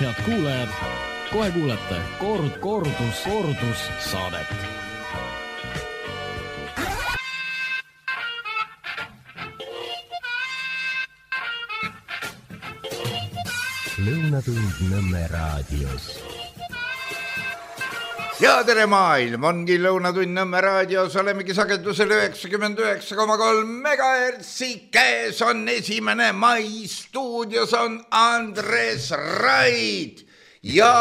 head kuulajad, kohe kuulete kordus saadet. Lõunatund Nõmme raadios. Ja tere maailm, ongi Lõunatund Nõmme raadios, olemegi sagedusel 99,3 megahertsi, käes on 1. mai, stuudios on Andres Raid ja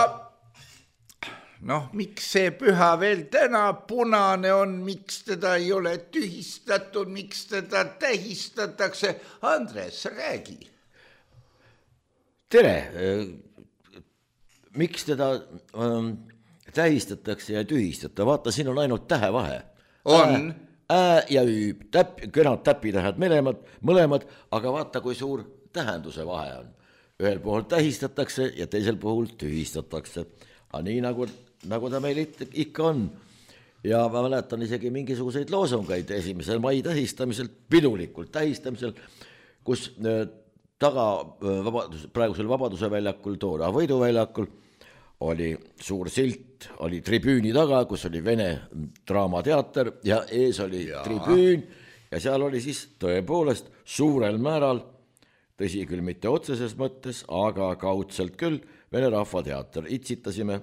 miks see püha veel täna punane on, miks teda ei ole tühistatud, miks teda tähistatakse, Andres, räägi. Tere, miks teda tähistatakse ja tühistata, vaata, siin on ainult tähevahe. On. Ja üüb, kõnad täpitähed mõlemad, aga vaata, kui suur tähenduse vahe on. Ühel puhul tähistatakse ja teisel puhul tühistatakse. Aga nii nagu ta meil ikka on. Ja ma mäletan isegi mingisuguseid loosungeid 1. mai tähistamisel, pidulikult tähistamisel, kus praegusel Vabaduse väljakul, toona Võiduväljakul oli suur silt, oli tribüüni taga, kus oli Vene draamateater ja ees oli tribüün ja seal oli siis tõepoolest suurel määral, tõsi küll mitte otseses mõttes, aga kaudselt küll, Vene rahvateater. Itsitasime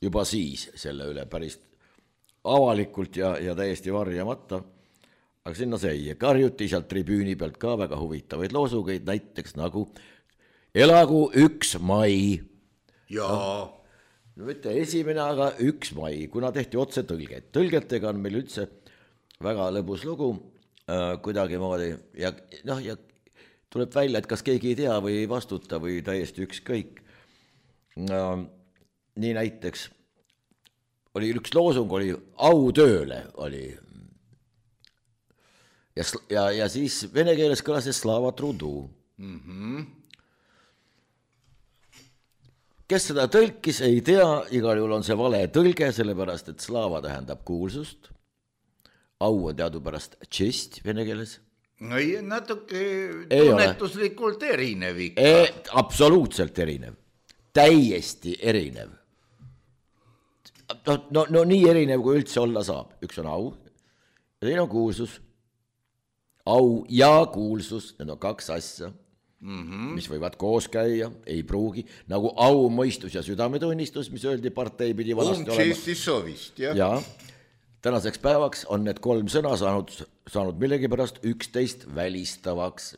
juba siis selle üle päris avalikult ja täiesti varjamata. Aga sinna see karjuti sealt tribüüni pealt ka väga huvitavaid loosugeid, näiteks nagu elagu 1. mai. Jaa. No mitte 1., aga 1. mai, kuna tehti otse tõlget. Tõlgetega on meil üldse väga lõbus lugu kuidagi moodi ja tuleb välja, et kas keegi ei tea või ei vastuta või täiesti ükskõik. Nii näiteks oli üks loosung, oli au tööle, oli ja siis vene keeles kõlas Slava trudu. Kes seda tõlkis, ei tea, igal juhul on see vale tõlge, sellepärast, et slava tähendab kuulsust. Au on teadupärast tšest vene keeles. No natuke tunnetuslikult erinev ikka. Absoluutselt erinev. Täiesti erinev. No nii erinev, kui üldse olla saab. Üks on au ja teine on kuulsus. Au ja kuulsus, need on 2 asja, mis võivad koos käia, ei pruugi, nagu au, mõistus ja südametunnistus, mis öeldi partei pidi vanasti olema. Ja tänaseks päevaks on need 3 sõna saanud millegipärast 11 välistavaks.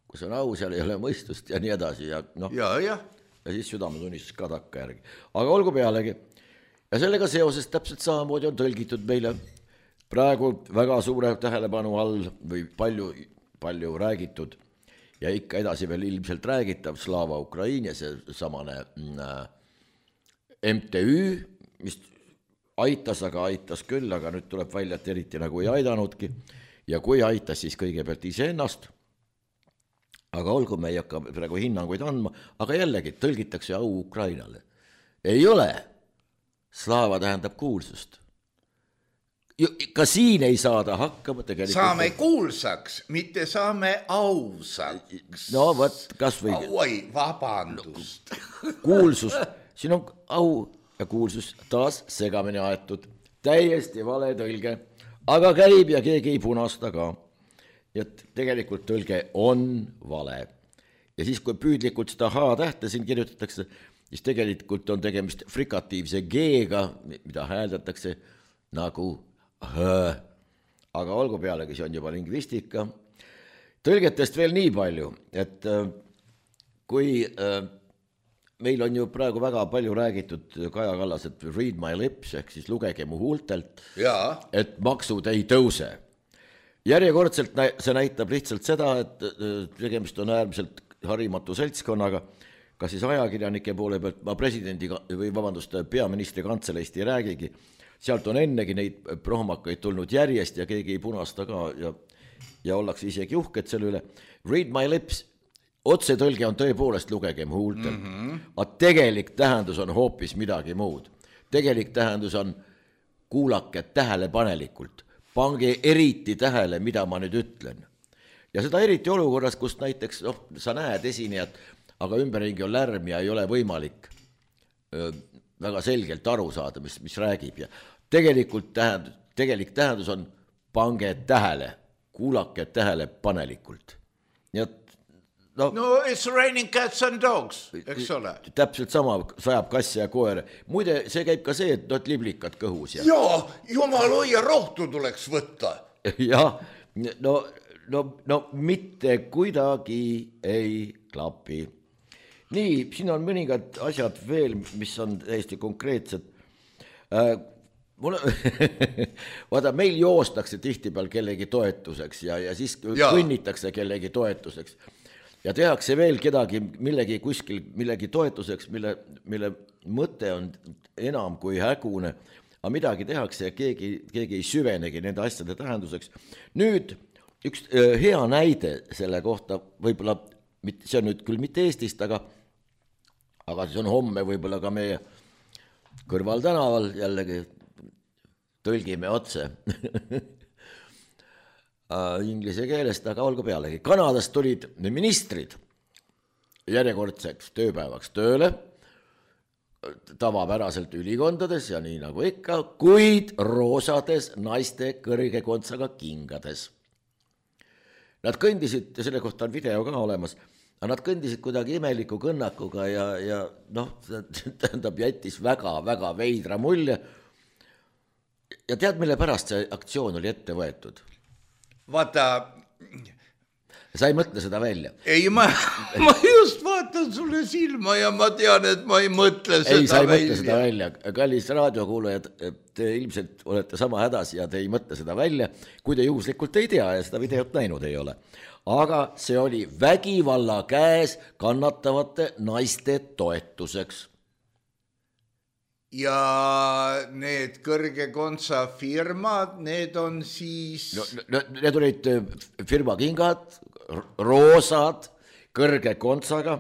Kus on au, seal ei ole mõistust ja nii edasi. Ja siis südametunnistus ka takka järgi. Aga olgu pealegi. Ja sellega seoses täpselt samamoodi on tõlgitud meile praegu väga suure tähelepanu all või palju räägitud ja ikka edasi veel ilmselt räägitav Slava Ukraini ja see samane MTÜ, mis aitas, aga aitas küll, aga nüüd tuleb välja, et eriti nagu ei aidanudki ja kui aitas, siis kõigepealt iseennast. Aga olgu, me ei hakka praegu hinnanguid andma, aga jällegi tõlgitakse au Ukrainale. Ei ole. Slava tähendab kuulsust. Ka siin ei saada hakkama tegelikult. Saame kuulsaks, mitte saame ausaks. No võt, kas või... Oi, vabandust. Kuulsus, siin on au ja kuulsus taas segamini aetud. Täiesti vale tõlge, aga käib ja keegi ei punasta ka. Et tegelikult tõlge on vale. Ja siis, kui püüdlikult seda H-tähte siin kirjutatakse, siis tegelikult on tegemist frikatiivse G-ga, mida hääldatakse nagu aga olgu pealegi, see on juba lingvistika. Tõlgetest veel nii palju, et kui meil on ju praegu väga palju räägitud Kaja Kallas, et read my lips, ehk siis lugege mu huultelt, et maksud ei tõuse. Järjekordselt see näitab lihtsalt seda, et tegemist on äärmiselt harimatu seltskonnaga, kas siis ajakirjanike poole pealt, ma peaministri kantseleist ei räägigi, sealt on ennegi neid prohmakaid tulnud järjest ja keegi ei punasta ka ja ollakse isegi uhked selle üle. Read my lips, otsetõlge on tõepoolest lugegem huultelt, aga tegelik tähendus on hoopis midagi muud. Tegelik tähendus on kuulake tähelepanelikult, pange eriti tähele, mida ma nüüd ütlen. Ja seda eriti olukorras, kus näiteks sa näed esinejat, aga ümberringi on lärm ja ei ole võimalik väga selgelt aru saada, mis räägib ja tegelik tähendus on pange tähele, kuulake tähelepanelikult. Nii et no it's raining cats and dogs, eks ole. Täpselt sama sajab kass ja koer. Muide, see käib ka see, et liblikad kõhus. Jaa, jumal hoia, rohtu tuleks võtta. Jah, no mitte kuidagi ei klapi. Nii, siin on mõningad asjad veel, mis on täiesti konkreetsed. Vaata, meil joostakse tihtipeal kellegi toetuseks ja siis kõnnitakse kellegi toetuseks. Ja tehakse veel kedagi millegi toetuseks, mille mõte on enam kui hägune, aga midagi tehakse ja keegi ei süvenegi nende asjade tähenduseks. Nüüd üks hea näide selle kohta, võib-olla, see on nüüd küll mitte Eestist, aga see on homme võib-olla ka meie kõrval tänaval, jällegi tõlgime otse inglise keelest, aga olgu pealegi. Kanadast tulid ministrid järjekordseks tööpäevaks tööle, tavapäraselt ülikondades ja nii nagu ikka, kuid roosades naiste kõrge kontsaga kingades. Nad kõndisid, ja selle kohta on video ka olemas, aga nad kõndisid kuidagi imeliku kõnnakuga ja tähendab jättis väga veidra mulje. Ja tead, mille pärast see aktsioon oli ette võetud? Vaata... Sa ei mõtle seda välja? Ei, ma just vaatan sulle silma ja ma tean, et ma ei mõtle seda välja. Ei, sa ei mõtle seda välja. Kallis raadiokuulajad, te ilmselt olete sama hädas ja te ei mõtle seda välja, kui te juhuslikult ei tea ja seda videot näinud ei ole. Aga see oli vägivalla käes kannatavate naiste toetuseks. Ja need kõrge kontsa firmad, need on siis... Need olid firma kingad, roosad, kõrge kontsaga.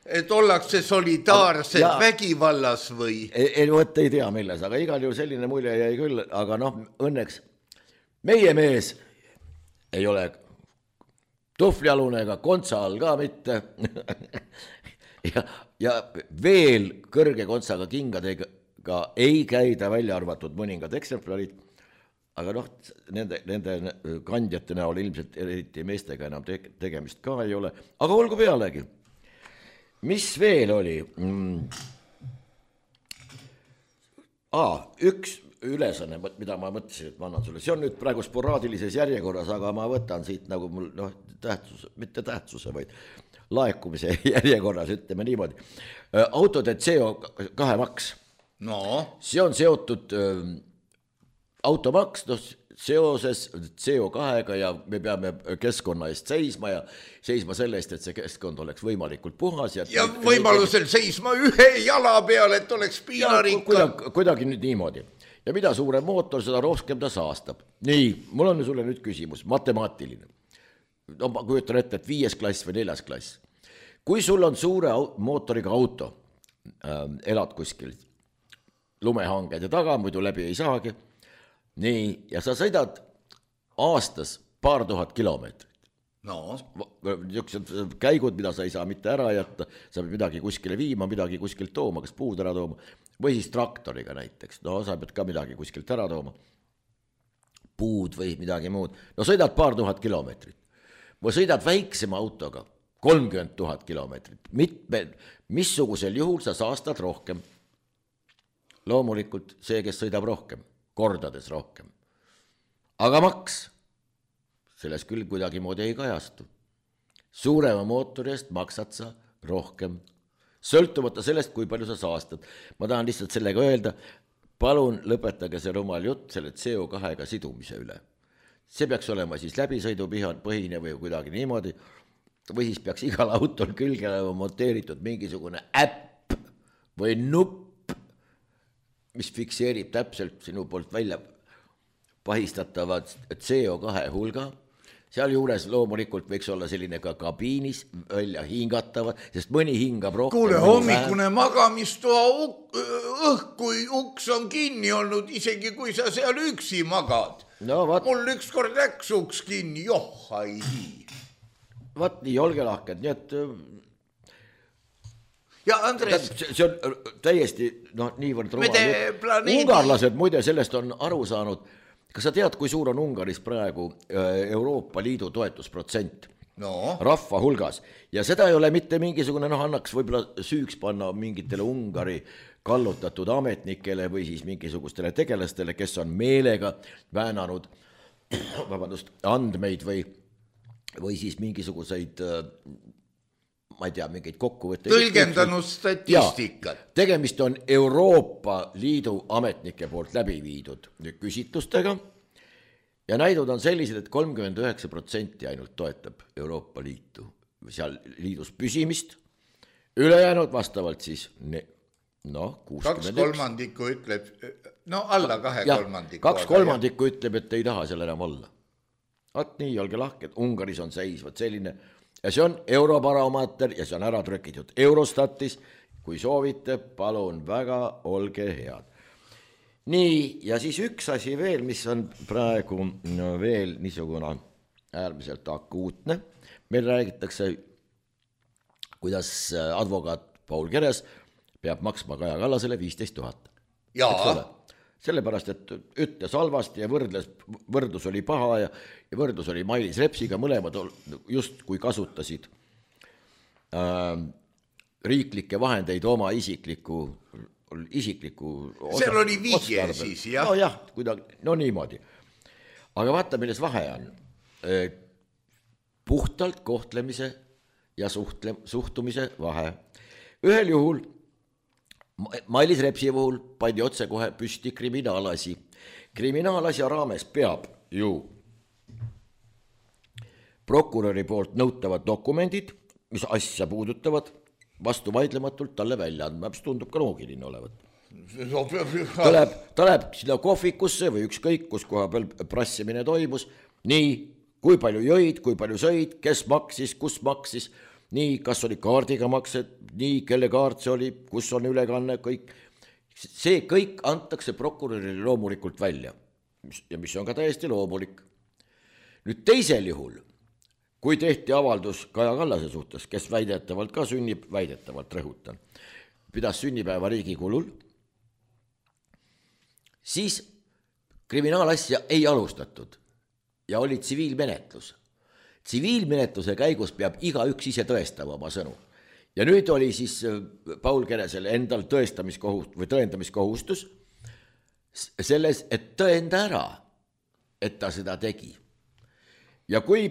Et ollakse solidaarsed vägivallas või? Ei tea milles, aga igal juhul selline mulje jäi küll, aga õnneks meie mees ei ole tuhvlialune ega kontsa all ka mitte. ja veel kõrge kontsaga kingadega ei käida välja arvatud mõningad eksemplarid, aga nende kandjate näol ilmselt eriti meestega enam tegemist ka ei ole, aga olgu pealegi. Mis veel oli? Üks ülesanne, mida ma mõtlesin, et ma annan sulle. See on nüüd praegu sporaadilises järjekorras, aga ma võtan siit nagu mul mitte tähtsuse, vaid laekumise järjekorras, ütleme niimoodi. Autode CO2 maks. No. See on seotud automaks seoses CO2-ga ja me peame keskkonna eest seisma ja seisma selle eest, et see keskkond oleks võimalikult puhas. Ja võimalusel seisma ühe jala peal, et oleks piinarikka. Kuidagi nüüd niimoodi. Ja mida suurem mootor, seda rohkem ta saastab. Nii, mul on sulle nüüd küsimus, matemaatiline. Ma kujutan ette, et 5. klass või 4. klass. Kui sul on suure mootoriga auto, elad kuskil lumehanged ja taga, muidu läbi ei saagi. Nii, ja sa sõidad aastas 2000 kilomeetrit. No. Niisugused käigud, mida sa ei saa mitte ära jätta, sa pead midagi kuskile viima, midagi kuskilt tooma, kas puud ära tooma, või siis traktoriga näiteks. No sa pead ka midagi kuskilt ära tooma, puud või midagi muud. No sõidad 2000 kilomeetrit. Või sõidad väiksema autoga 30 000 kilomeetrit. Missugusel juhul sa saastad rohkem? Loomulikult see, kes sõidab rohkem, kordades rohkem. Aga maks, selles küll kuidagi moodi ei kajastu. Suurema mootori eest maksad sa rohkem, sõltumata sellest, kui palju sa saastad. Ma tahan lihtsalt sellega öelda, palun lõpetage see rumal jutt selle CO2-ga sidumise üle. See peaks olema siis läbisõidupõhine või kuidagi niimoodi, või siis peaks igal autol külge monteeritud mingisugune äpp või nupp, mis fikseerib täpselt sinu poolt välja pahistatavad CO2 hulga. Seal juures loomulikult võiks olla selline ka kabiinis välja hingatavad, sest mõni hingab rohkem. Kuule, hommikune magamistoa kui uks on kinni olnud, isegi kui sa seal üksi magad. No, mul ükskord läks uks kinni, ai nii. Vaat nii, olge lahked, nii et ja Andres, see on täiesti niivõrd rumal. planeedi... Ungarlased muide sellest on aru saanud. Kas sa tead, kui suur on Ungaris praegu Euroopa Liidu toetusprotsent rahva hulgas? Ja seda ei ole mitte mingisugune, annaks võib-olla süüks panna mingitele Ungari kallutatud ametnikele või siis mingisugustele tegelastele, kes on meelega väänanud andmeid või siis mingisuguseid, ma ei tea, mingeid kokkuvõtteid. Tõlgendanud statistikat. Tegemist on Euroopa Liidu ametnike poolt läbi viidud küsitlustega ja näidud on sellised, et 39% ainult toetab Euroopa Liitu, seal liidus püsimist, ülejäänud vastavalt siis 61. 2/3 ütleb, alla 2/3. 2/3 ütleb, et ei taha seal enam olla. Nii, olge lahked, Ungaris on seis selline ja see on Eurobaromeeter ja see on ära trükitud Eurostatis, kui soovite, palun väga, olge head. Nii, ja siis üks asi veel, mis on praegu veel niisugune äärmiselt akuutne. Meil räägitakse, kuidas advokaat Paul Keres peab maksma Kaja Kallasele 15 000. Jaa. Sellepärast, et ütles halvasti ja võrdlus oli paha ja võrdlus oli Mailis Repsiga, mõlemad just kui kasutasid riiklikke vahendeid oma isikliku seal oli vihje siis, jah? Jah, niimoodi. Aga vaata, milles vahe on. Puhtalt kohtlemise ja suhtumise vahe. Ühel juhul Mailis Repsi puhul pandi otse kohe püsti kriminaalasi. Kriminaalasja raames peab ju prokuröri poolt nõutavad dokumendid, mis asja puudutavad, vastu vaidlematult talle välja andma, mis tundub ka loogiline olevat. Ta läheb sinna kohvikusse või ükskõik, kus koha peal prassimine toimus, nii, kui palju jõid, kui palju sõid, kes maksis, kus maksis, nii, kas oli kaardiga maksed, nii, kelle kaart see oli, kus on ülekanne, kõik. See kõik antakse prokurörile loomulikult välja ja mis on ka täiesti loomulik. Nüüd teisel juhul, kui tehti avaldus Kaja Kallase suhtes, kes väidetavalt ka väidetavalt rõhutan, pidas sünnipäeva riigi kulul, siis kriminaalasja ei alustatud ja oli tsiviilmenetlus. Tsiviilmenetluse käigus peab igaüks ise tõestama oma sõnu. Ja nüüd oli siis Paul Keresel endal tõendamiskohustus selles, et tõenda ära, et ta seda tegi. Ja kui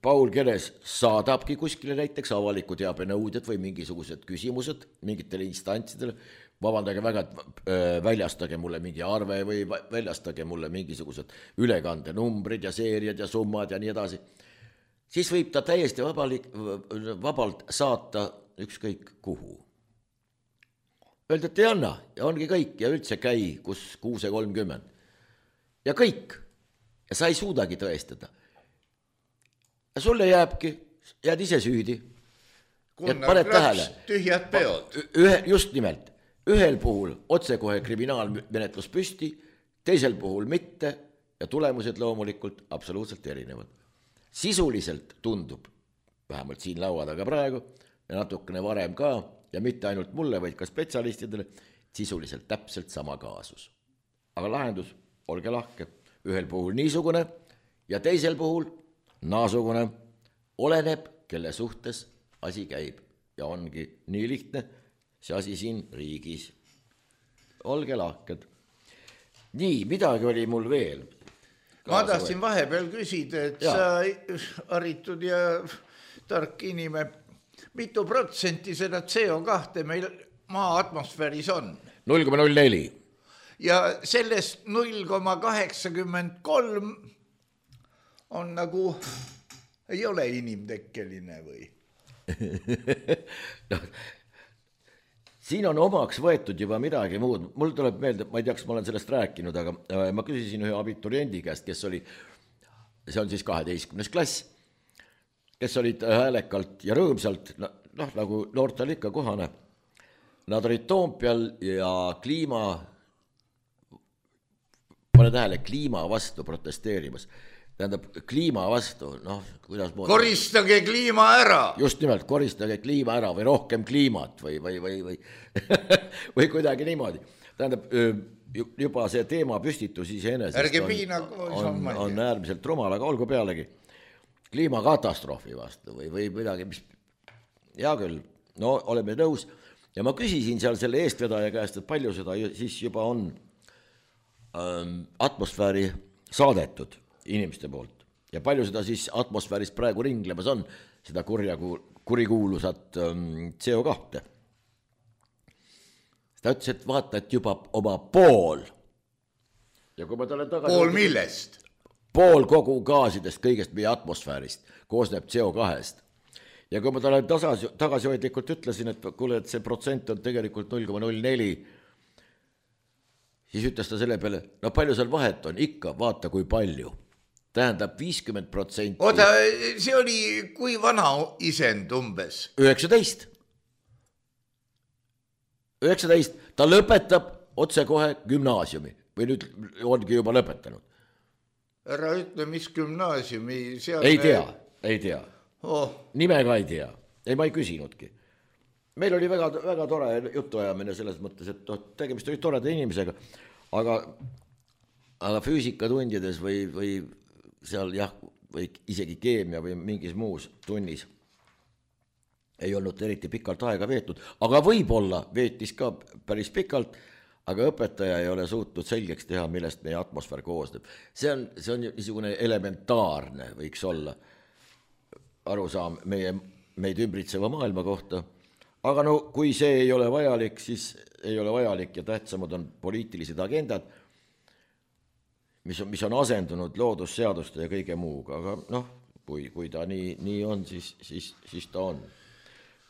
Paul Keres saadabki kuskile näiteks avaliku teabe nõuded või mingisugused küsimused mingitele instantsidele, vabandage väga, väljastage mulle mingi arve või väljastage mulle mingisugused ülekande numbrid ja seeriad ja summad ja nii edasi, siis võib ta täiesti vabalt saata ükskõik kuhu. Öelda, et ei anna ja ongi kõik ja üldse käi, kus 6:30. Ja kõik. Ja sa ei suudagi tõestada. Ja sulle jääd ise süüdi. Gunnar Kraks, tühjad peod. Just nimelt. Ühel puhul otsekohe kriminaalmenetlus püsti, teisel puhul mitte ja tulemused loomulikult absoluutselt erinevad. Sisuliselt tundub, vähemalt siin laua taga praegu ja natukene varem ka, ja mitte ainult mulle, vaid ka spetsialistidele, sisuliselt täpselt sama kaasus. Aga lahendus, olge lahke, ühel puhul niisugune ja teisel puhul naasugune, oleneb, kelle suhtes asi käib ja ongi nii lihtne see asi siin riigis. Olge lahked. Nii, midagi oli mul veel. Ma tahtsin vahepeal küsida, et sa haritud ja tark inimene, mitu protsenti seda CO2 meil maa atmosfääris on? 0,04. Ja sellest 0,83 on nagu, ei ole inimtekkeline või? Siin on omaks võetud juba midagi muud. Mul tuleb meelde, ma ei tea, kas ma olen sellest rääkinud, aga ma küsisin ühe abituriendi käest, kes oli, see on siis 12. klass, kes olid häälekalt ja rõõmsalt, nagu noortel ikka kohane. Nad olid Toompeal ja kliima vastu protesteerimas. tähendab kliima vastu, noh, kuidas moodi. Koristage kliima ära. Just nimelt, koristage kliima ära või rohkem kliimat või või kuidagi niimoodi. Tähendab, juba see teema püstitus iseenesest on äärmiselt rumal, aga olgu pealegi kliimakatastroofi vastu või midagi, mis hea küll, no oleme nõus. Ja ma küsisin seal selle eestvedaja käest, et palju seda siis juba on atmosfääri saadetud inimeste poolt ja palju seda siis atmosfääris praegu ringlemas on, seda kurikuulusat CO2. Ta ütles, et vaata, et juba oma pool. Ja kui ma talle pool millest? Pool kogu gaasidest, kõigest meie atmosfäärist koosneb CO2-st. Ja kui ma talle tagasihoidlikult ütlesin, et kuule, et see protsent on tegelikult 0,04, siis ütles ta selle peale, no palju seal vahet on, ikka vaata kui palju. Tähendab 50%. Oota, see oli kui vana isend umbes? 19. Ta lõpetab otsekohe gümnaasiumi või nüüd ongi juba lõpetanud. Ära ütle, mis gümnaasiumi seal... Ei tea. Nime ka ei tea. Ei, ma ei küsinudki. Meil oli väga tore jutuajamine selles mõttes, et tegemist oli toreda inimesega, aga füüsikatundides või seal jah, või isegi keemia või mingis muus tunnis ei olnud eriti pikalt aega veetud, aga võib-olla veetis ka päris pikalt, aga õpetaja ei ole suutnud selgeks teha, millest meie atmosfäär koosneb. See on niisugune elementaarne, võiks olla arusaam meid ümbritseva maailma kohta, aga no kui see ei ole vajalik, siis ei ole vajalik ja tähtsamad on poliitilised agendad, mis on asendunud loodusseaduste ja kõige muuga, aga noh, kui ta nii on, siis ta on.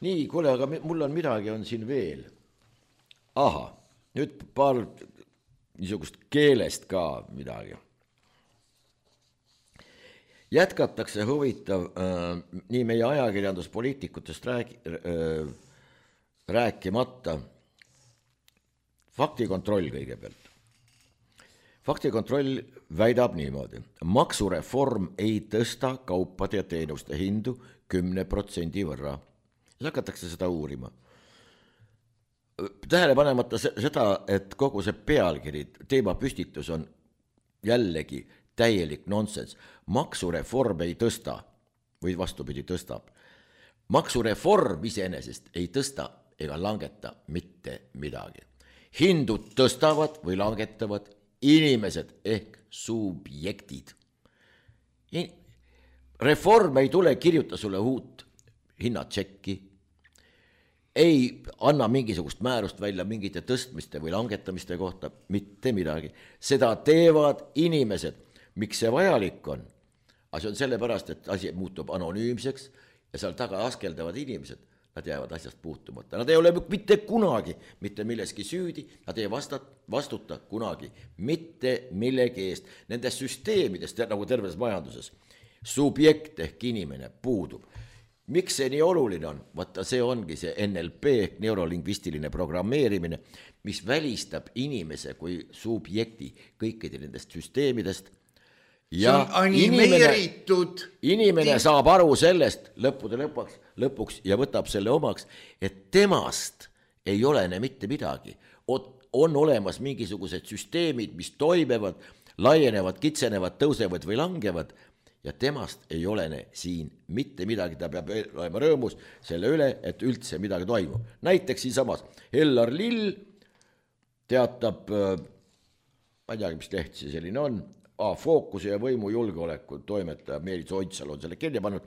Nii, kuule, aga mul on midagi on siin veel. Aha, nüüd paar niisugust keelest ka midagi. Jätkatakse huvitav nii meie ajakirjanduspoliitikutest rääkimata. Faktikontroll kõigepealt. Faktikontroll väidab niimoodi. Maksureform ei tõsta kaupade ja teenuste hindu 10% võrra. Ja hakatakse seda uurima. Tähele panemata seda, et kogu see pealkiri, teema püstitus on jällegi täielik nonsens. Maksureform ei tõsta või vastupidi tõstab. Maksureform iseenesest ei tõsta ega langeta mitte midagi. Hindud tõstavad või langetavad inimesed ehk subjektid. Reform ei tule kirjuta sulle uut hinnatšekki, ei anna mingisugust määrust välja mingite tõstmiste või langetamiste kohta, mitte midagi. Seda teevad inimesed. Miks see vajalik on? See on sellepärast, et asi muutub anonüümseks ja seal taga askeldavad inimesed. Nad jäävad asjast puutumata. Nad ei ole mitte kunagi mitte milleski süüdi, nad ei vastuta kunagi mitte millegi eest. Nendes süsteemidest, nagu terves majanduses, subjekt ehk inimene puudub. Miks see nii oluline on? Vaata, see ongi see NLP ehk neurolingvistiline programmeerimine, mis välistab inimese kui subjekti kõikide nendest süsteemidest. See on animeeritud. Inimene saab aru sellest lõpuks ja võtab selle omaks, et temast ei olene mitte midagi. On olemas mingisugused süsteemid, mis toimevad, laienevad, kitsenevad, tõusevad või langevad ja temast ei olene siin mitte midagi. Ta peab olema rõõmus selle üle, et üldse midagi toimub. Näiteks siinsamas Ellar Lill teatab, ma ei teagi, mis leht see selline on, Fookuse ja võimu julgeoleku toimetaja Meelis Oitsal on selle kirja pannud.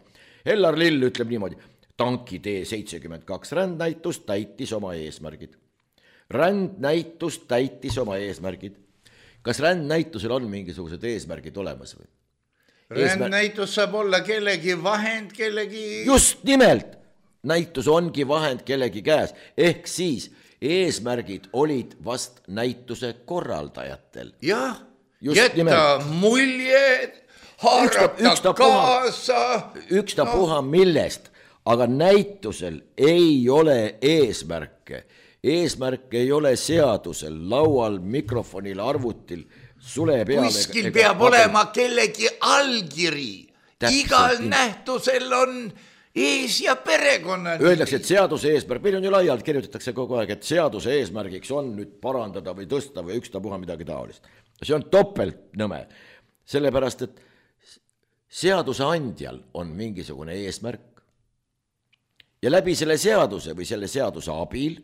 Ellar Lill ütleb niimoodi, tanki T72 rändnäitus täitis oma eesmärgid. Rändnäitus täitis oma eesmärgid. Kas rändnäitusel on mingisugused eesmärgid olemas või? Rändnäitus saab olla kellegi vahend, kellegi... Just nimelt, näitus ongi vahend kellegi käes, ehk siis eesmärgid olid vast näituse korraldajatel. Jah, jätta mulje, haarata kaasa. Ükstapuha millest, aga näitusel ei ole eesmärke. Eesmärk ei ole seadusel, laual, mikrofonil, arvutil sule peale. Kuskil peab olema kellegi allkiri. Igal nähtusel on ees ja perekonna. Öeldakse, et seaduse eesmärk, meil on ju laialt, kirjutatakse kogu aeg, et seaduse eesmärgiks on nüüd parandada või tõsta või ükstapuha midagi taolist. See on topelt nõme, sellepärast, et seaduse andjal on mingisugune eesmärk ja läbi selle seaduse või selle seaduse abil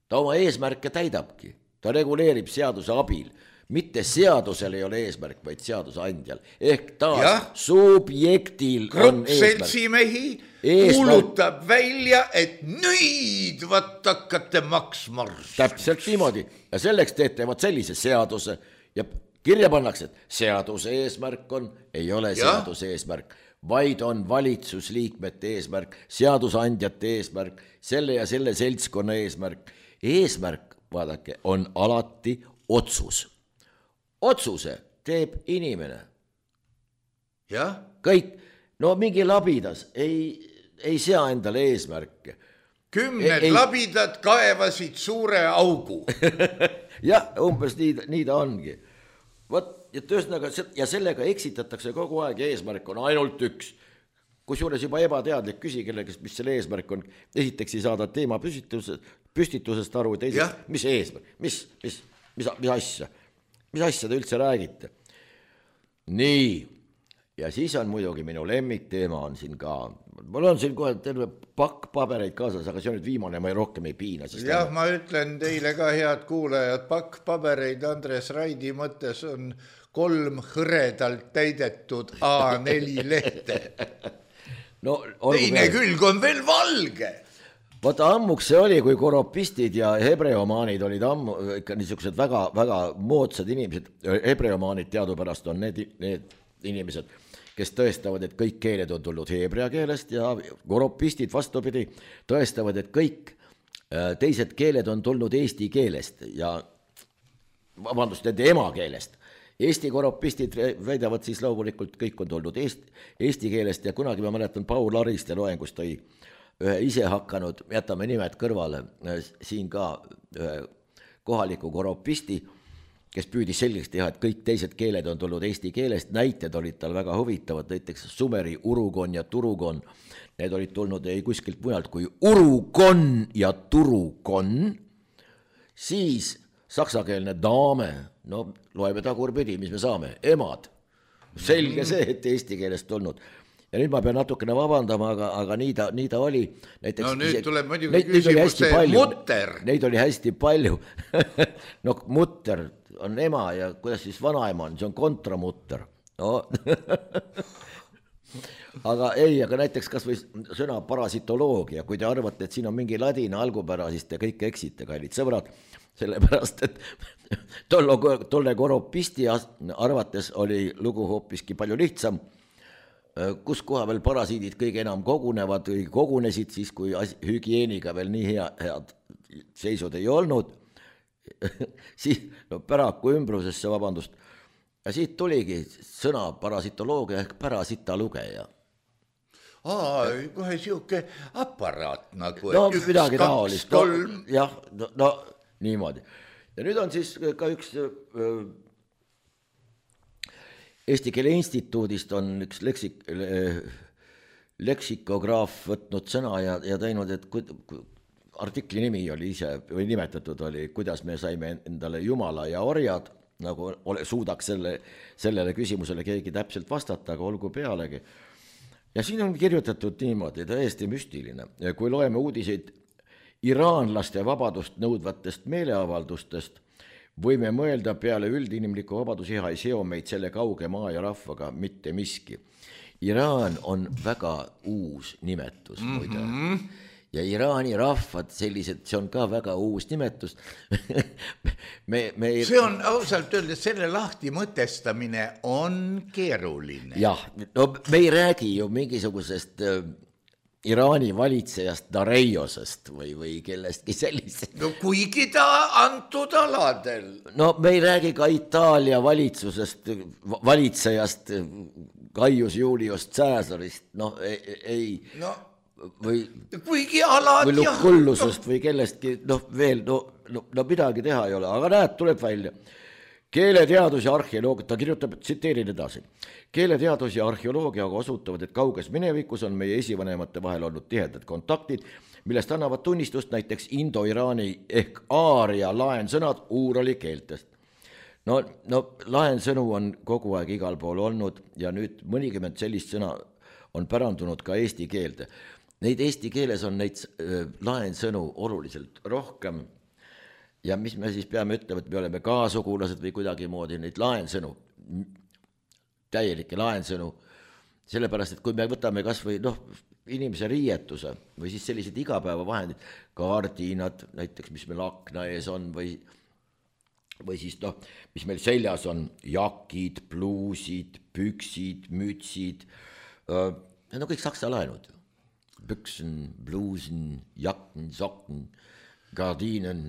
ta oma eesmärke täidabki. Ta reguleerib seaduse abil. Mitte seadusel ei ole eesmärk, vaid seaduse andjal. Ehk taas subjektil on eesmärk. Seltsimehi kuulutab välja, et nüüd vaat hakkate maksma. Täpselt niimoodi. Ja selleks teete sellise seaduse ja kirja pannakse, et seaduse eesmärk on, ei ole seaduse eesmärk, vaid on valitsusliikmete eesmärk, seadusandjate eesmärk, selle ja selle seltskonna eesmärk. Eesmärk, vaadake, on alati otsus. Otsuse teeb inimene. Jah. Kõik, no mingi labidas ei sea endale eesmärke. 10 labidad kaevasid suure augu. Jah, umbes nii ta ongi. Võt, ja sellega eksitatakse kogu aeg ja eesmärk on ainult üks. Kusjuures juba ebateadlik küsi kellegest, mis selle eesmärk on. Esiteks ei saada teema püstitusest aru, teiseks, mis eesmärk, mis asja. Mis asja te üldse räägite? Nii, ja siis on muidugi minu lemmikteema on siin ka. Mul on siin kohe terve pakk pabereid kaasas, aga see on nüüd viimane, ma rohkem ei piina. Jah, ma ütlen teile ka, head kuulajad, pakk pabereid Andres Raidi mõttes on 3 hõredalt täidetud A4 lehte. No, teine külg on veel valge. Vaata ammuks see oli, kui koropistid ja hebreomaanid olid ammu ikka niisugused väga, väga moodsad inimesed. Hebreomaanid teadupärast on need inimesed, kes tõestavad, et kõik keeled on tulnud heebrea keelest ja koropistid vastupidi tõestavad, et kõik teised keeled on tulnud eesti keelest ja vabandust, nende emakeelest. Eesti koropistid väidavad siis loomulikult kõik on tulnud eesti keelest ja kunagi ma mäletan Paul Ariste loengust tõi ühe ise hakanud, jätame nimed kõrvale, siin ka ühe kohaliku koropisti, kes püüdis selgeks teha, et kõik teised keeled on tulnud eesti keelest, näited olid tal väga huvitavad, näiteks sumeri urugon ja turugon, need olid tulnud ei kuskilt mujalt kui urugon ja turugon, siis saksakeelne daame, no loeme tagurpidi, mis me saame, emad, selge see, et eesti keelest tulnud. Ja nüüd ma pean natukene vabandama, aga nii ta oli. Näiteks, no nüüd tuleb muidugi küsimus see mutter. Neid oli hästi palju. No mutter on ema ja kuidas siis vanaema on, see on kontramutter. No. aga näiteks kas või sõna parasitoloogia, kui te arvate, et siin on mingi ladina algupära, siis te kõik eksite, kallid sõbrad, sellepärast, et tolle koropisti arvates oli lugu hoopiski palju lihtsam, kus koha veel parasiidid kõige enam kogunevad või kogunesid siis, kui hügieeniga veel nii head seisud ei olnud, siis päraku ümbrusesse, vabandust, ja siit tuligi sõna parasitoloogia ehk parasitalugeja. Kohe siuke aparaat nagu. No midagi taolist, jah, no niimoodi. Ja nüüd on siis ka üks Eesti Keele Instituudist on üks leksikograaf võtnud sõna ja teinud, et artikli nimi oli ise või nimetatud oli, kuidas me saime endale jumala ja orjad, nagu suudaks sellele küsimusele keegi täpselt vastata, aga olgu pealegi. Ja siin on kirjutatud niimoodi, täiesti müstiline, kui loeme uudiseid iraanlaste vabadust nõudvatest meeleavaldustest, võime mõelda peale üldinimliku vabadusiha ei seo meid selle kauge maa ja rahvaga mitte miski. Iraan on väga uus nimetus, muide. Ja Iraani rahvad sellised, see on ka väga uus nimetus. See on ausalt öeldes, selle lahti mõtestamine on keeruline. Jah, no me ei räägi ju mingisugusest Iraani valitsejast Dareiosest või kellestki sellisest. No kuigi ta antud aladel. No me ei räägi ka Itaalia valitsejast Gaius Julius Caesarist, ei. No, või, kuigi alad või Lukullusest või kellestki, veel, no midagi teha ei ole, aga näed, tuleb välja. keeleteadus ja arheoloogia, ta kirjutab, tsiteerin edasi. Keeleteadus ja arheoloogiaga osutavad, et kauges minevikus on meie esivanemate vahel olnud tihedad kontaktid, millest annavad tunnistust näiteks Indo-Iraani ehk aaria laensõnad uurali keeltest. No laensõnu on kogu aeg igal pool olnud ja nüüd mõnikümmend sellist sõna on pärandunud ka eesti keelde. Neid eesti keeles on neid laensõnu oluliselt rohkem ja mis me siis peame ütlema, et me oleme kaasugulased või kuidagi moodi neid laensõnu, täielikke laensõnu, sellepärast, et kui me võtame kas või inimese riietuse või siis sellised igapäevavahendid, kaardinad näiteks, mis meil akna ees on või siis mis meil seljas on, jakid, pluusid, püksid, mütsid, need on kõik saksa laenud. Büksen, bluusen, jakken, sokken, gardinen,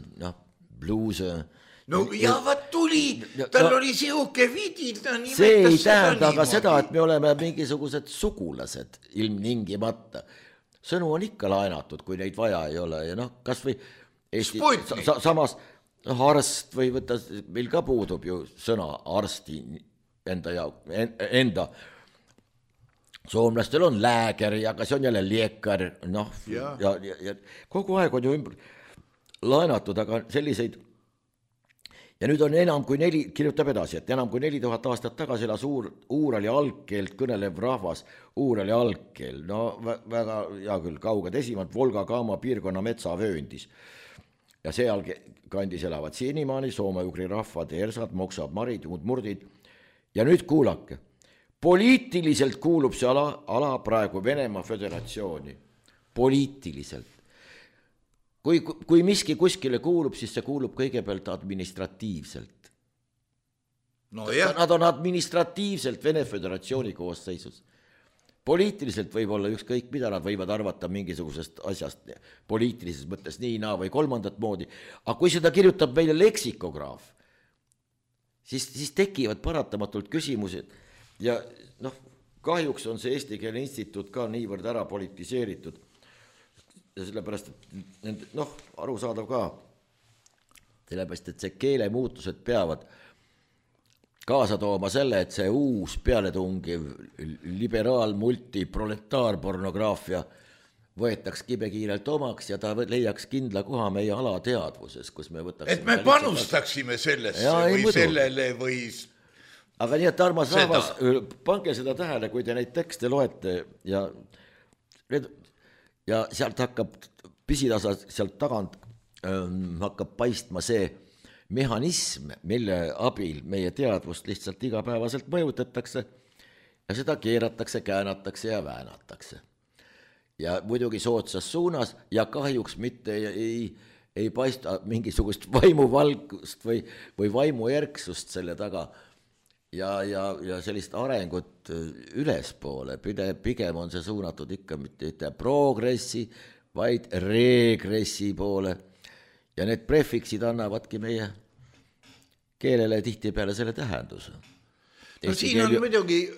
bluuse. No ja vaat tuli, tal oli siuke vidi. See ei tähenda aga seda, et me oleme mingisugused sugulased ilmtingimata. Sõnu on ikka laenatud, kui neid vaja ei ole ja kas või Eesti, samas arst või võtta, meil ka puudub ju sõna arsti enda. Soomlastel on lääger ja kas on jälle liekar, ja kogu aeg on ju laenatud, aga selliseid. Ja nüüd on enam kui kirjutab edasi, et enam kui 4000 aastat tagasi elas uurali algkeelt kõnelev rahvas, uurali algkeel, väga hea küll, kauged esimad Volga-Kaama piirkonna metsavööndis. Ja seal kandis elavad sinimaani soome-ugri rahvad, ersad, moksad, marid, murdid. Ja nüüd kuulake, poliitiliselt kuulub see ala praegu Venemaa Föderatsiooni. Poliitiliselt. Kui miski kuskile kuulub, siis see kuulub kõigepealt administratiivselt. Nad on administratiivselt Vene Föderatsiooni koosseisus. Poliitiliselt võib olla ükskõik mida, nad võivad arvata mingisugusest asjast poliitilises mõttes nii, või kolmandat moodi, aga kui seda kirjutab meile leksikograaf, siis tekivad paratamatult küsimused ja kahjuks on see Eesti Keele Instituut ka niivõrd ära politiseeritud ja sellepärast, et arusaadav ka, sellepärast, et see keelemuutused peavad kaasa tooma selle, et see uus pealetungiv liberaal multiproletaarpornograafia võetaks kibekiirelt omaks ja ta leiaks kindla koha meie alateadvuses, kus me võtaks... Et me panustaksime sellesse või sellele või... Aga nii, et armas rahvas, pange seda tähele, kui te neid tekste loete ja sealt hakkab pisitasa, sealt tagant hakkab paistma see mehhanism, mille abil meie teadvust lihtsalt igapäevaselt mõjutatakse ja seda keeratakse, käänatakse ja väänatakse. Ja muidugi soodsas suunas ja kahjuks mitte ei paista mingisugust vaimuvalgust või vaimuerksust selle taga ja sellist arengut ülespoole. Pigem on see suunatud ikka mitte progressi, vaid regressi poole. Ja need prefiksid annavadki meie keelele tihtipeale selle tähenduse. Siin on muidugi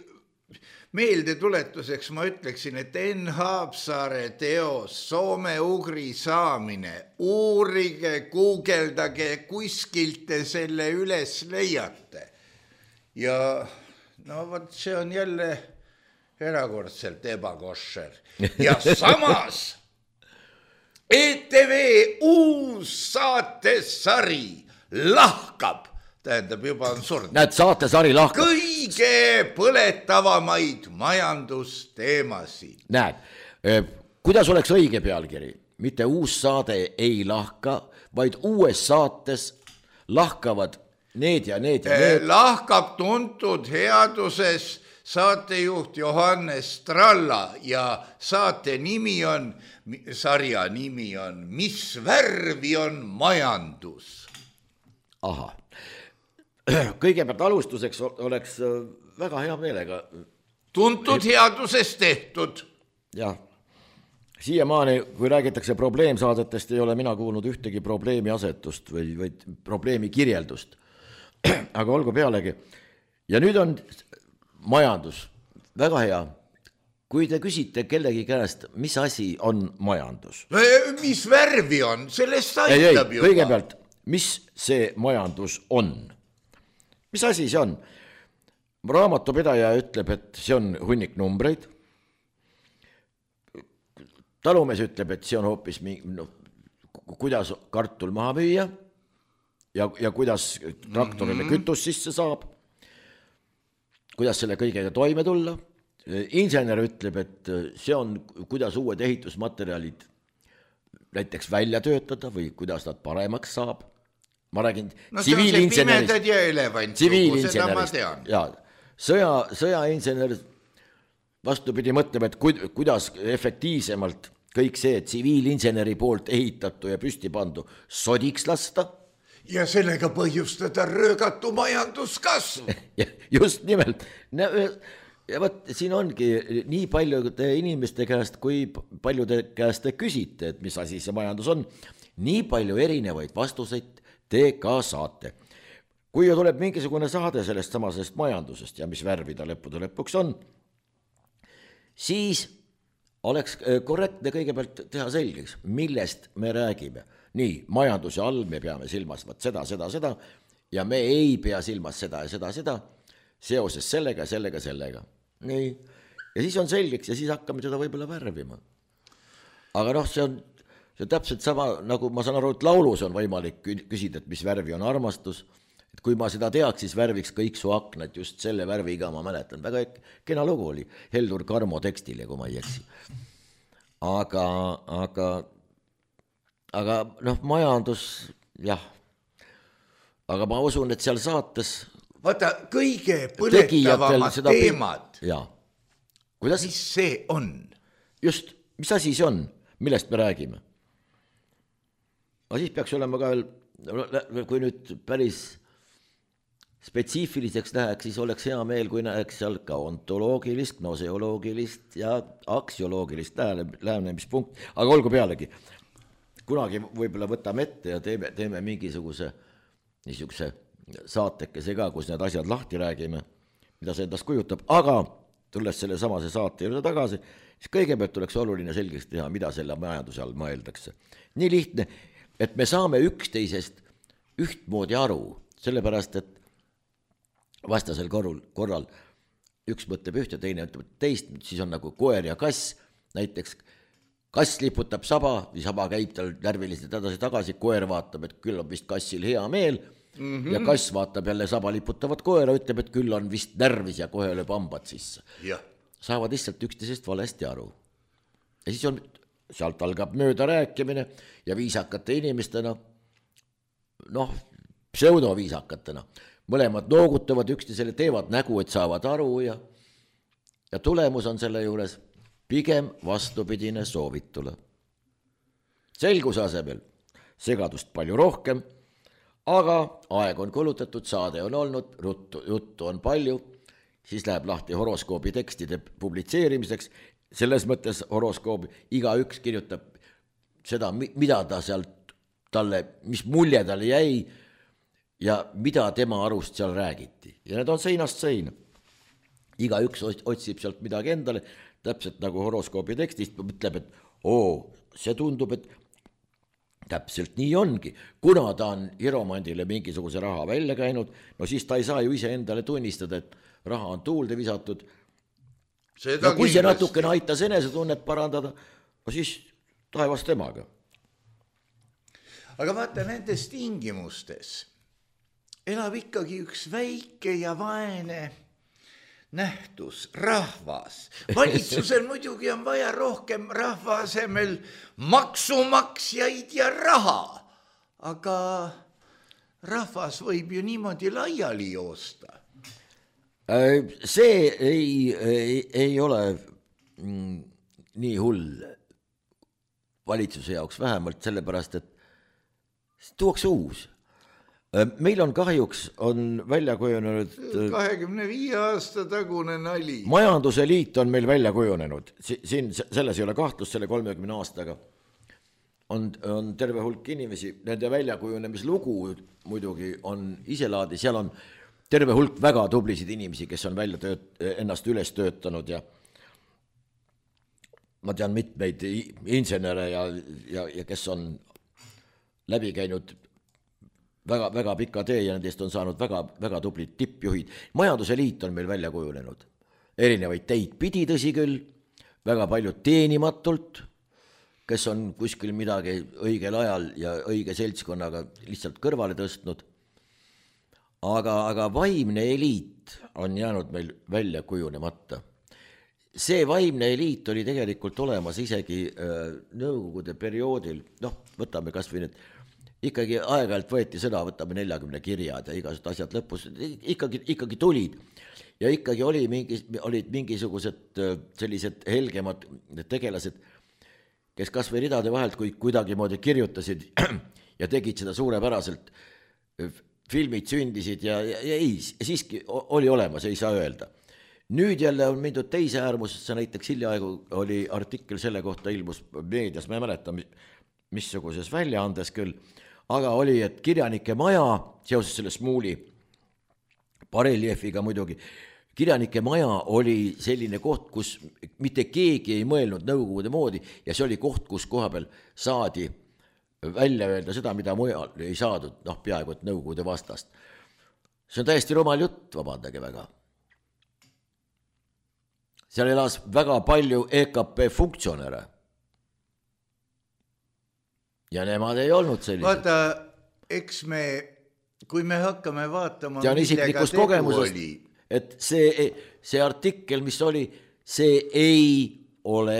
meeldetuletuseks, ma ütleksin, et Enn Haapsaare teos Soome-ugri saamine, uurige, guugeldage, kuskilt te selle üles leiate. Ja võt see on jälle erakordselt ebakoššer. Ja samas... ETV uus saatesari lahkab, tähendab juba on surnud. Näed, saatesari lahkab. Kõige põletavamaid majandusteemasid. Näed, kuidas oleks õige pealkiri? Mitte uus saade ei lahka, vaid uues saates lahkavad need ja need ja need. Lahkab tuntud headuses saatejuht Johannes Tralla ja saate nimi on, sarja nimi on Mis värvi on majandus? Aha. Kõigepealt alustuseks oleks väga hea meelega. Tuntud headuses tehtud. Jah. Siiamaani, kui räägitakse probleemsaadetest, ei ole mina kuulnud ühtegi probleemi asetust või probleemi kirjeldust. Aga olgu pealegi. Ja nüüd on majandus. Väga hea. Kui te küsite kellegi käest, mis asi on majandus? Mis värvi on? Sellest aitab juba. Kõigepealt, mis see majandus on? mis asi see on? Raamatupidaja ütleb, et see on hunnik numbreid. Talumees ütleb, et see on hoopis kuidas kartul maha müüa ja kuidas traktorile kütus sisse saab, kuidas selle kõigega toime tulla. Insener ütleb, et see on, kuidas uued ehitusmaterjalid näiteks välja töötada või kuidas nad paremaks saab. Ma räägin tsiviilinsenerist. Pimedad ja elevant, seda ma tean. Ja, sõjainsener vastupidi mõtleb, et kuidas efektiivsemalt kõik see tsiviilinseneri poolt ehitatu ja püsti pandu sodiks lasta. Ja sellega põhjustada röögatu majanduskasv. Just nimelt. Ja võt, siin ongi nii paljude inimeste käest, kui paljude käest te küsite, et mis asi see majandus on, nii palju erinevaid vastuseid te ka saate. Kui ju tuleb mingisugune saade sellest samasest majandusest ja mis värvi ta lõpuks on, siis oleks korrektne kõigepealt teha selgeks, millest me räägime. Nii, majanduse all me peame silmas seda ja me ei pea silmas seda ja seda seoses sellega. Nii, ja siis on selgeks ja siis hakkame seda võib-olla värvima. Aga see on täpselt sama, nagu ma saan aru, et laulus on võimalik küsida, et mis värvi on armastus. Et kui ma seda teaks, siis värviks kõik su aknad just selle värviga, ma mäletan. Väga kena lugu oli Heldur Karmo tekstile, kui ma ei eksi. Aga majandus, jah. Aga ma usun, et seal saates vaata, kõige põletavamad teemad. Jaa. Kuidas? Mis see on? Just, mis asi see on? Millest me räägime? Aga siis peaks olema ka veel, kui nüüd päris spetsiifiliseks läheks, siis oleks hea meel, kui näeks seal ka ontoloogilist, gnoseoloogilist ja aksioloogilist lähenemispunkt. Aga olgu pealegi, kunagi võib-olla võtame ette ja teeme mingisuguse niisuguse saatekese ka, kus need asjad lahti räägime, mida see endast kujutab. Aga tulles selle samase saate juurde tagasi, siis kõigepealt oleks oluline selgeks teha, mida selle majanduse all mõeldakse. Nii lihtne, et me saame üksteisest ühtmoodi aru, sellepärast, et vastasel korral üks mõtleb ühte, teine ütleb teist, siis on nagu koer ja kass, näiteks kass liputab saba või saba käib tal närviliselt edasi-tagasi, koer vaatab, et küll on vist kassil hea meel ja kass vaatab jälle saba liputavat koera, ütleb, et küll on vist närvis ja kohe lööb hambad sisse. Saavad lihtsalt üksteisest valesti aru. Ja siis on, sealt algab mööda rääkimine ja viisakate inimestena, pseudoviisakatena, mõlemad noogutavad üksteisele, teevad nägu, et saavad aru ja tulemus on selle juures pigem vastupidine soovitule. Selguse asemel segadust palju rohkem, aga aeg on kulutatud, saade on olnud, juttu on palju, siis läheb lahti horoskoobi tekstide publitseerimiseks, selles mõttes horoskoobi iga üks kirjutab seda, mida ta sealt talle, mis mulje talle jäi, ja mida tema arust seal räägiti. Ja need on seinast seina. Iga üks otsib sealt midagi endale, täpselt nagu horoskoobi tekstist, mõtleb, et see tundub, et täpselt nii ongi. Kuna ta on hiromandile mingisuguse raha välja käinud, siis ta ei saa ju ise endale tunnistada, et raha on tuulde visatud. Ja kui see natukene aitas enesetunnet parandada, siis taevas temaga. Aga vaata, nendes tingimustes elab ikkagi üks väike ja vaene nähtus, rahvas. Valitsusel muidugi on vaja rohkem rahva asemel maksumaksjaid ja raha, aga rahvas võib ju niimoodi laiali joosta. See ei ole nii hull valitsuse jaoks vähemalt, sellepärast, et tuuakse uus. Meil on kahjuks välja kujunenud 25 aasta tagune nali. Majanduse liit on meil välja kujunenud. Siin selles ei ole kahtlust, selle 30 aastaga on terve hulk inimesi. Nende väljakujunemislugu muidugi on iselaadi. Seal on terve hulk väga tublisid inimesi, kes on ennast üles töötanud ja ma tean mitmeid insenere ja kes on läbi käinud väga pika tee ja nendest on saanud väga tublid tippjuhid. Majanduse liit on meil välja kujunenud. Erinevaid teid pidi tõsi küll, väga palju teenimatult, kes on kuskil midagi õigel ajal ja õige seltskonnaga lihtsalt kõrvale tõstnud. Aga vaimne eliit on jäänud meil välja kujunemata. See vaimne eliit oli tegelikult olemas isegi nõukogude perioodil, võtame kas või need, ikkagi aeg-ajalt võeti sõna, võtame 40 kirjad ja igasugused asjad lõpus, ikkagi tulid ja ikkagi olid mingisugused sellised helgemad tegelased, kes kas või ridade vahelt kuidagi moodi kirjutasid ja tegid seda suurepäraselt, filmid sündisid ja ei, siiski oli olemas, ei saa öelda. Nüüd jälle on mindud teise äärmusesse, näiteks hiljaaegu oli artikkel selle kohta ilmus meedias, ma ei mäleta, missuguses väljaandes küll, aga oli, et kirjanike maja, seoses selle Smuuli bareljeefiga muidugi, kirjanike maja oli selline koht, kus mitte keegi ei mõelnud nõukogude moodi ja see oli koht, kus koha peal saadi välja öelda seda, mida mujal ei saadud, peaaegu et nõukogude vastast. See on täiesti rumal jutt, vabandage väga. Seal elas väga palju EKP funktsionäre. Ja nemad ei olnud sellised. Vaata, eks kui me hakkame vaatama, ja on isiklikust kogemusest, et see artikkel, mis oli, see ei ole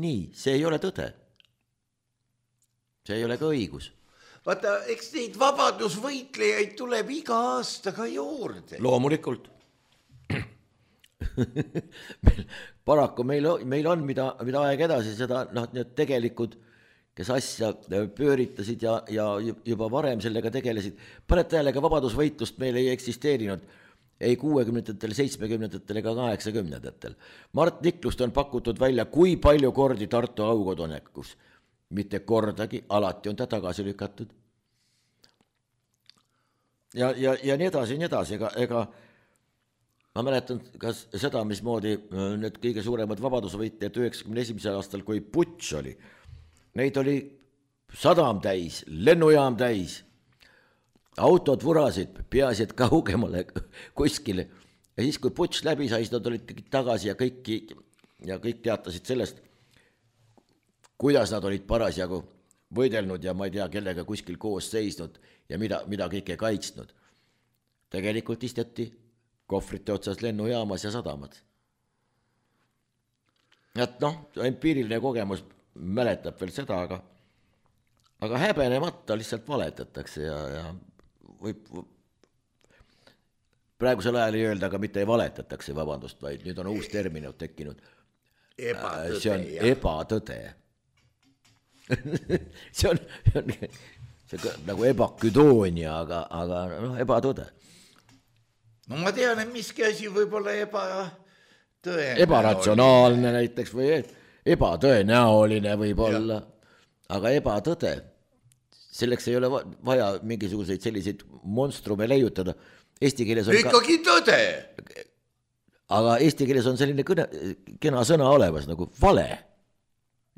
nii, see ei ole tõde. See ei ole ka õigus. Vaata, eks neid vabadusvõitlejaid tuleb iga aastaga juurde. Loomulikult. Paraku meil on, mida aeg edasi, seda need tegelikud, kes asja pööritasid ja juba varem sellega tegelesid. Paned tähelega vabadusvõitlust meil ei eksisteerinud ei 60-ndatel, 70-ndatel ega 80-ndatel. Mart Niklust on pakutud välja, kui palju kordi Tartu aukodunekus. Mitte kordagi, alati on ta tagasi lükatud. Ja nii edasi, ega ma mäletan kas seda, mismoodi need kõige suuremad vabadusvõitlejad 91. aastal, kui putš oli, neid oli sadam täis, lennujaam täis, autod vurasid, peaasi, et kaugemale kuskile. Ja siis, kui putš läbi sai, nad olid tagasi ja kõik teatasid sellest, kuidas nad olid parasjagu võidelnud ja ma ei tea, kellega kuskil koos seisnud ja mida kõike kaitsnud. Tegelikult isteti kohvrite otsas lennujaamas ja sadamad. Et empiiriline kogemus mäletab veel seda, aga häbenemata lihtsalt valetatakse ja võib praegusel ajal ei öelda, aga mitte ei valetatakse, vabandust, vaid nüüd on uus termin tekkinud. Ebatõde, see on ebatõde. see on nagu ebaküdoonia, aga ebatõde. No ma tean, et miski asi võib olla ebatõenäoline. Ebaratsionaalne näiteks või ebatõenäoline võib olla, aga ebatõde. Selleks ei ole vaja mingisuguseid selliseid monstrume leiutada. Eesti keeles on ikkagi tõde. Aga eesti keeles on selline kena sõna olemas nagu vale.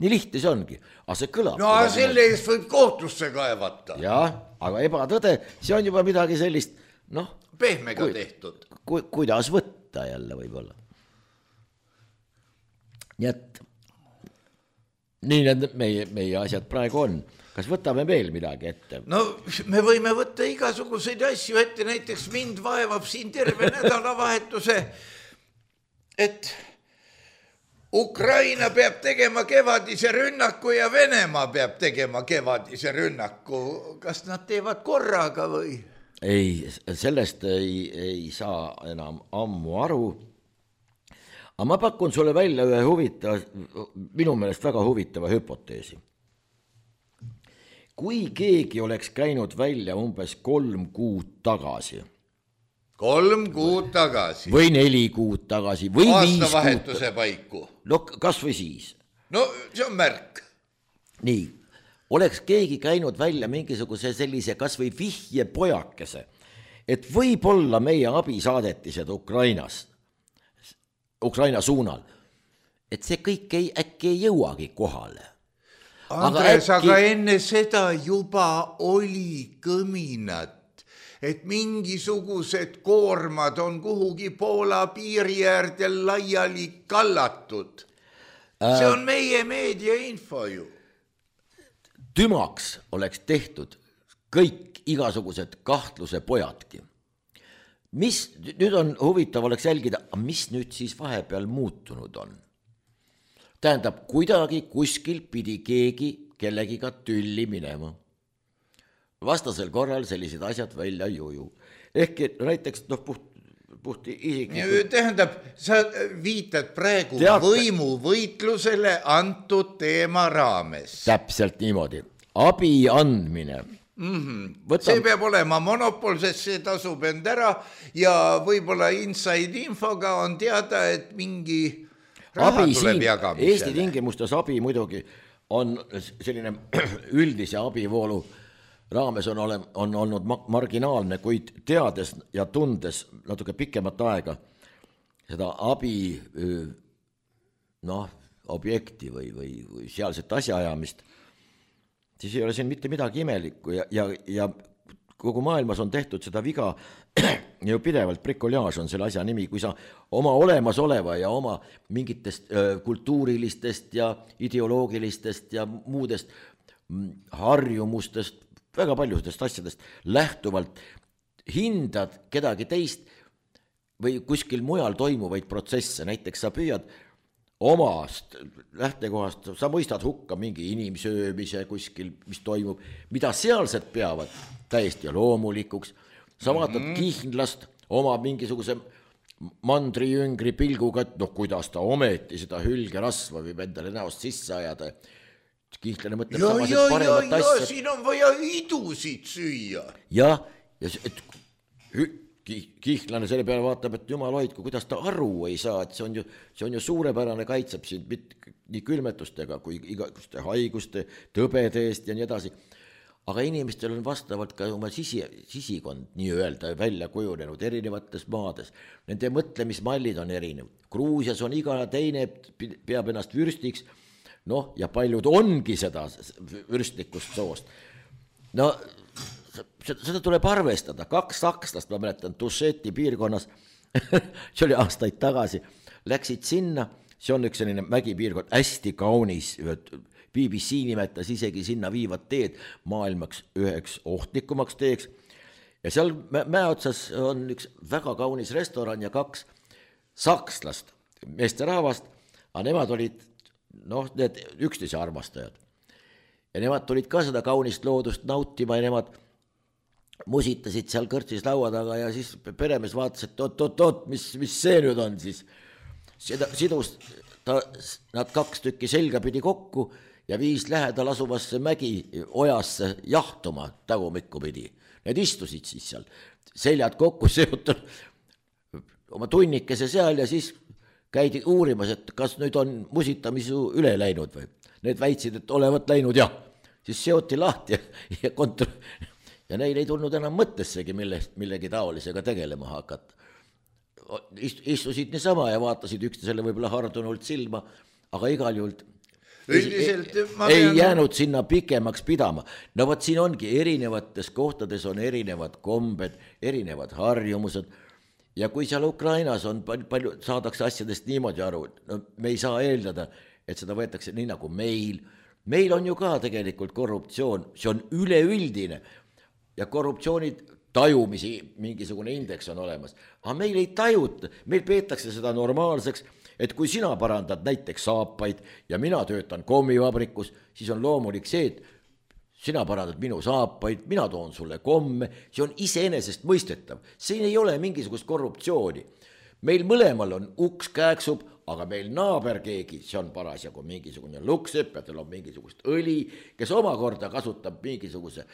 Nii lihtne see ongi. Aga see kõlab. No selle eest võib kohtusse kaevata. Jah, aga ebatõde, see on juba midagi sellist, pehmega tehtud. Kuidas võtta jälle võib-olla. Nii et nii need meie asjad praegu on. Kas võtame veel midagi ette? No me võime võtta igasuguseid asju ette, näiteks mind vaevab siin terve nädalavahetuse, et Ukraina peab tegema kevadise rünnaku ja Venemaa peab tegema kevadise rünnaku. Kas nad teevad korraga või? Ei, sellest ei saa enam ammu aru. Aga ma pakun sulle välja ühe minu meelest väga huvitava hüpoteesi. Kui keegi oleks käinud välja umbes 3 kuud tagasi. 3 kuud tagasi. Või 4 kuud tagasi. Või 5 kuud. Aastavahetuse paiku. No kas või siis. No see on märk. Nii. Oleks keegi käinud välja mingisuguse sellise kas või vihje pojakese, et võib-olla meie abisaadetised Ukraina suunal, et see kõik äkki ei jõuagi kohale. Andres, aga enne seda juba oli kõminat et mingisugused koormad on kuhugi Poola piiri äärde laiali kallatud. See on meie meediainfo ju. Tümaks oleks tehtud kõik igasugused kahtluse pojadki. Mis nüüd on huvitav oleks jälgida, mis nüüd siis vahepeal muutunud on. Tähendab, kuidagi kuskil pidi keegi kellegiga tülli minema. Vastasel korral sellised asjad välja ei uju. Ehk näiteks puhti isiklikult. Tähendab, sa viitad praegu võimuvõitlusele antud teema raames. Täpselt niimoodi. Abi andmine. See peab olema monopol, sest see tasub end ära ja võib-olla inside infoga on teada, et mingi raha tuleb jagamisele. Eesti tingimustes abi muidugi on selline üldise abivoolu raames on olnud marginaalne, kuid teades ja tundes natuke pikemat aega seda abi objekti või sealset asjaajamist, siis ei ole siin mitte midagi imelikku ja kogu maailmas on tehtud seda viga ju pidevalt, bricolage on selle asja nimi, kui sa oma olemasoleva ja oma mingitest kultuurilistest ja ideoloogilistest ja muudest harjumustest, väga paljudest asjadest lähtuvalt hindad kedagi teist või kuskil mujal toimuvaid protsesse, näiteks sa püüad omast lähtekohast, sa mõistad hukka mingi inimsöömise kuskil, mis toimub, mida sealsed peavad täiesti loomulikuks, sa vaatad kihnlast oma mingisuguse mandrijüngri pilguga, et kuidas ta ometi seda hülgerasva võib endale näost sisse ajada. Kihnlane mõtleb samased paremat asja. Siin on vaja idusid süüa. Ja kihnlane selle peale vaatab, et jumal hoidku, kuidas ta aru ei saa, et see on ju suurepärane, kaitseb sind nii külmetustega kui igasuguste haiguste, tõbede eest ja nii edasi. Aga inimestel on vastavalt ka oma sisikond nii-öelda välja kujunenud erinevates maades. Nende mõtlemismallid on erinev. Gruusias on iga teine peab ennast vürstiks, ja paljud ongi seda vürstlikust soost. Seda tuleb arvestada. 2 sakslast, ma mäletan, Tušeti piirkonnas, see oli aastaid tagasi, läksid sinna, see on üks selline mägipiirkond, hästi kaunis, BBC nimetas isegi sinna viivad teed maailmaks üheks ohtlikumaks teeks. Ja seal mäeotsas on üks väga kaunis restoran ja 2 sakslast, meesterahvast, aga nemad olid need üksteise armastajad. Ja nemad tulid ka seda kaunist loodust nautima ja nemad musitasid seal kõrtsis laua taga ja siis peremees vaatas, et oot, mis see nüüd on siis. Sidus nad 2 tükki selga pidi kokku ja viis lähedal asuvasse mägi ojasse jahtuma tagumikku pidi. Need istusid siis seal, seljad kokku seotud oma tunnikese seal ja siis käidi uurimas, et kas nüüd on musitamisu üle läinud või. Need väitsid, et olevat läinud jah. Siis seoti lahti ja neil ei tulnud enam mõttessegi millegi taolisega tegelema hakata. Istusid niisama ja vaatasid üksteisele võib-olla hardunult silma, aga igal juhul ei jäänud sinna pikemaks pidama. Võt siin ongi erinevates kohtades on erinevad kombed, erinevad harjumused. Ja kui seal Ukrainas on palju saadakse asjadest niimoodi aru, me ei saa eeldada, et seda võetakse nii nagu meil. Meil on ju ka tegelikult korruptsioon, see on üleüldine ja korruptsioonid tajumisi mingisugune indeks on olemas. Aga meil ei tajuta, meil peetakse seda normaalseks, et kui sina parandad näiteks saapaid ja mina töötan kommivabrikus, siis on loomulik see, et sina parandad minu saapaid, mina toon sulle komme, see on iseenesest mõistetav. Siin ei ole mingisugust korruptsiooni. Meil mõlemal on uks kääksub, aga meil naaber keegi, see on parasjagu mingisugune luksepp ja tal on mingisugust õli, kes omakorda kasutab mingisuguse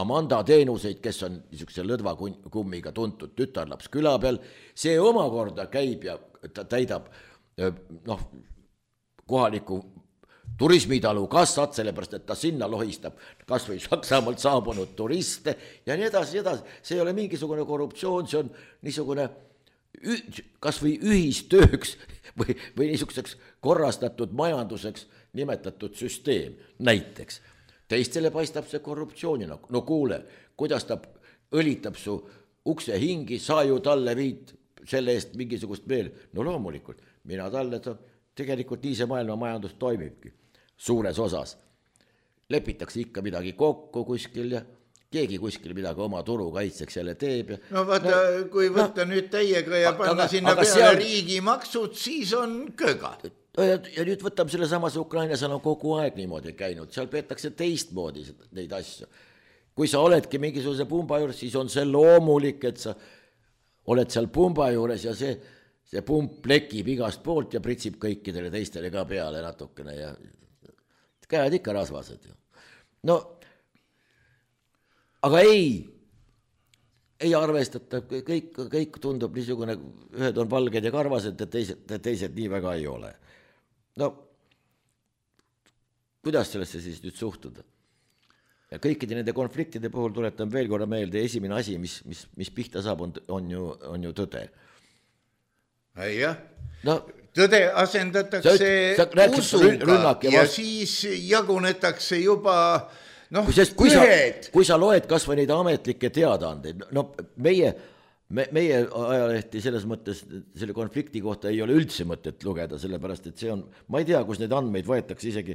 Amanda teenuseid, kes on niisuguse lõdvakummiga tuntud tütarlaps küla peal. See omakorda käib ja ta täidab kohaliku turismitalu kassat, sellepärast, et ta sinna lohistab kas või Saksamaalt saabunud turiste ja nii edasi, See ei ole mingisugune korruptsioon, see on niisugune kas või ühistööks või niisuguseks korrastatud majanduseks nimetatud süsteem näiteks. Teistele paistab see korruptsioonina. Kuule, kuidas ta õlitab su ukse hingi, sa ju talle viid selle eest mingisugust veel. No loomulikult, mina talle, tegelikult nii see maailma majandus toimibki suures osas. Lepitakse ikka midagi kokku kuskil ja keegi kuskil midagi oma turu kaitseks jälle teeb. No vaata, kui võtta nüüd teiega ja panna sinna peale riigimaksud, siis on köga. Ja nüüd võtame selle samas Ukrainas on kogu aeg niimoodi käinud, seal peetakse teistmoodi neid asju. Kui sa oledki mingisuguse pumba juures, siis on see loomulik, et sa oled seal pumba juures ja see pump plekib igast poolt ja pritsib kõikidele teistele ka peale natukene ja käed ikka rasvased. No, aga ei arvestata, kõik tundub niisugune, ühed on valged ja karvased ja teised nii väga ei ole. No, kuidas sellesse siis nüüd suhtuda? Ja kõikide nende konfliktide puhul tuletan veel korra meelde, esimene asi, mis pihta saab, on ju tõde. Jah, no, tõde asendatakse usuga ja siis jagunetakse juba kui sa loed kas või neid ametlikke teadaandeid, no meie ajalehti selles mõttes selle konflikti kohta ei ole üldse mõtet lugeda, sellepärast et see on, ma ei tea, kus need andmeid võetakse isegi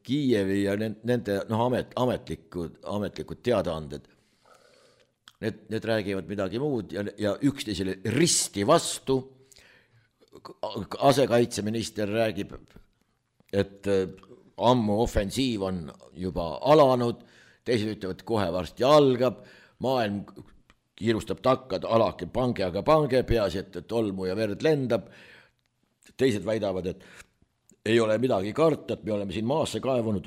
Kiievi ja nende ametlikud teadaanded. Need räägivad midagi muud ja üksteisele risti vastu. Asekaitseminister räägib, et ammu ofensiiv on juba alanud, teised ütlevad, kohe varsti algab, maailm kiirustab takka, alake pange, aga pange, peaasi, et tolmu ja verd lendab. Teised väidavad, et ei ole midagi karta, et me oleme siin maasse kaevunud,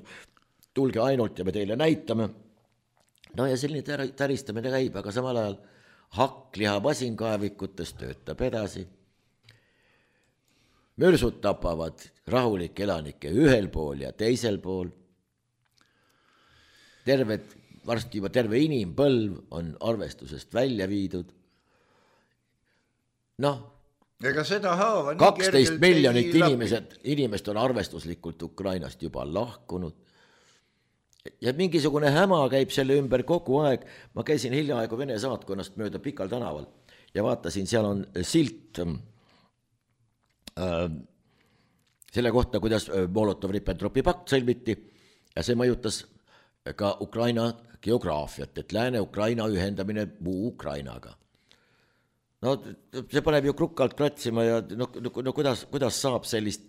tulge ainult ja me teile näitame. No ja selline täristamine käib, aga samal ajal hakkliha masinkaevikutes töötab edasi. Mürsud tapavad rahulike elanike ühel pool ja teisel pool. Varsti juba terve inimpõlv on arvestusest välja viidud. ega seda haava 12 miljonit inimest on arvestuslikult Ukrainast juba lahkunud. Ja mingisugune häma käib selle ümber kogu aeg. Ma käisin hiljaaegu Vene saatkonnast mööda Pikal tänaval ja vaatasin, seal on silt selle kohta, kuidas Molotov-Ribbentropi pakt sõlmiti ja see mõjutas ka Ukraina geograafiat, et Lääne-Ukraina ühendamine muu Ukrainaga. No see paneb ju krukkalt kratsima ja kuidas saab sellist,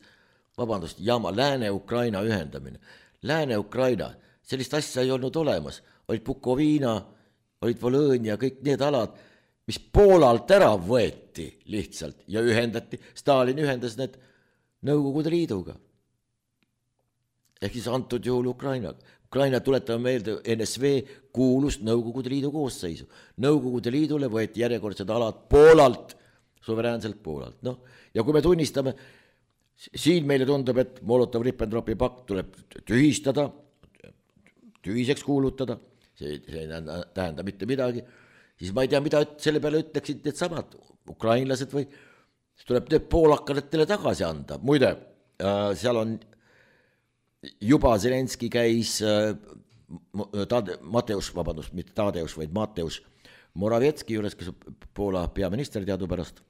jama, Lääne-Ukraina ühendamine. Lääne-Ukraina, sellist asja ei olnud olemas. Olid Bukovina, olid Volõnia, kõik need alad, mis Poolalt ära võeti lihtsalt ja ühendati. Stalin ühendas need Nõukogude Liiduga. Ehk siis antud juhul Ukrainaga. Ukraina tuletame meelde, NSV kuulus Nõukogude Liidu koosseisu. Nõukogude Liidule võeti järjekordsed alad Poolalt, suveräänselt Poolalt. Ja kui me tunnistame, siin meile tundub, et Molotov-Ribbentropi pakt tuleb tühistada, tühiseks kuulutada, see ei tähenda mitte midagi, siis ma ei tea, mida selle peale ütleksid need samad ukrainlased või tuleb need poolakadetele tagasi anda. Muide, seal on juba Zelenski käis mitte Tadeusz, vaid Mateusz Morawiecki juures, kes Poola peaminister teadupärast.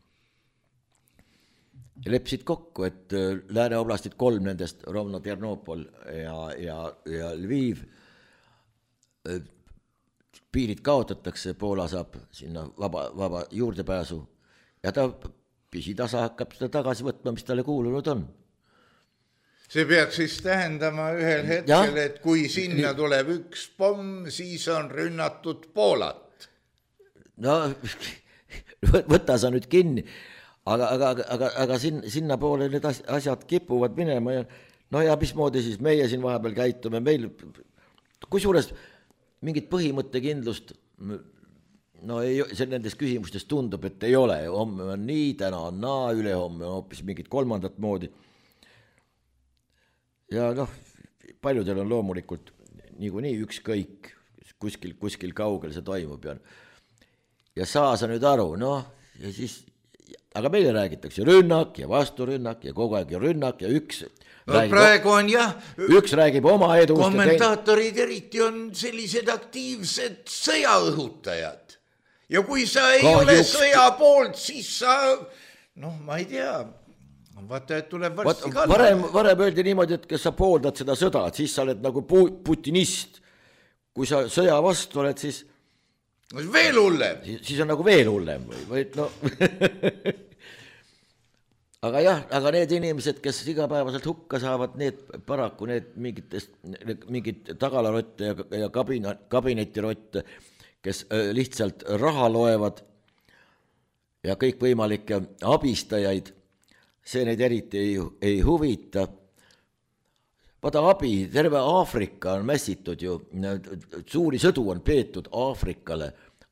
Lepsid kokku, et Lääne oblastid 3 nendest, Rovno, Ternopol ja Lviv, piirid kaotatakse, Poola saab sinna vaba juurdepääsu ja ta pisitasa hakkab seda tagasi võtma, mis talle kuulunud on. See peaks siis tähendama ühel hetkel, et kui sinna tuleb üks pomm, siis on rünnatud Poolat. No, võta sa nüüd kinni, aga sinna poole need asjad kipuvad minema ja mismoodi siis meie siin vahepeal käitume, meil kusjuures mingit põhimõttekindlust see nendes küsimustes tundub, et ei ole, homme on nii, täna on naa, ülehomme on hoopis mingit kolmandat moodi. Ja paljudel on loomulikult niikuinii ükskõik, kuskil kaugel see toimub ja saa sa nüüd aru, ja siis aga meile räägitakse rünnak ja vasturünnak ja kogu aeg rünnak ja üks praegu on jah, üks räägib oma edust. Kommentaatorid eriti on sellised aktiivsed sõjaõhutajad ja kui sa ei ole sõja poolt, siis sa, ma ei tea, vaata, et tuleb varsti kallale. Varem öeldi niimoodi, et kes sa pooldad seda sõda, et siis sa oled nagu putinist. Kui sa sõja vastu oled, siis veel hullem. Siis on nagu veel hullem või aga jah, aga need inimesed, kes igapäevaselt hukka saavad, need paraku mingid tagalarotte ja kabinetirotte, kes lihtsalt raha loevad ja kõikvõimalikke abistajaid, see neid eriti ei huvita. Vaata abi, terve Aafrika on mässitud ju, suuri sõdu on peetud Aafrikale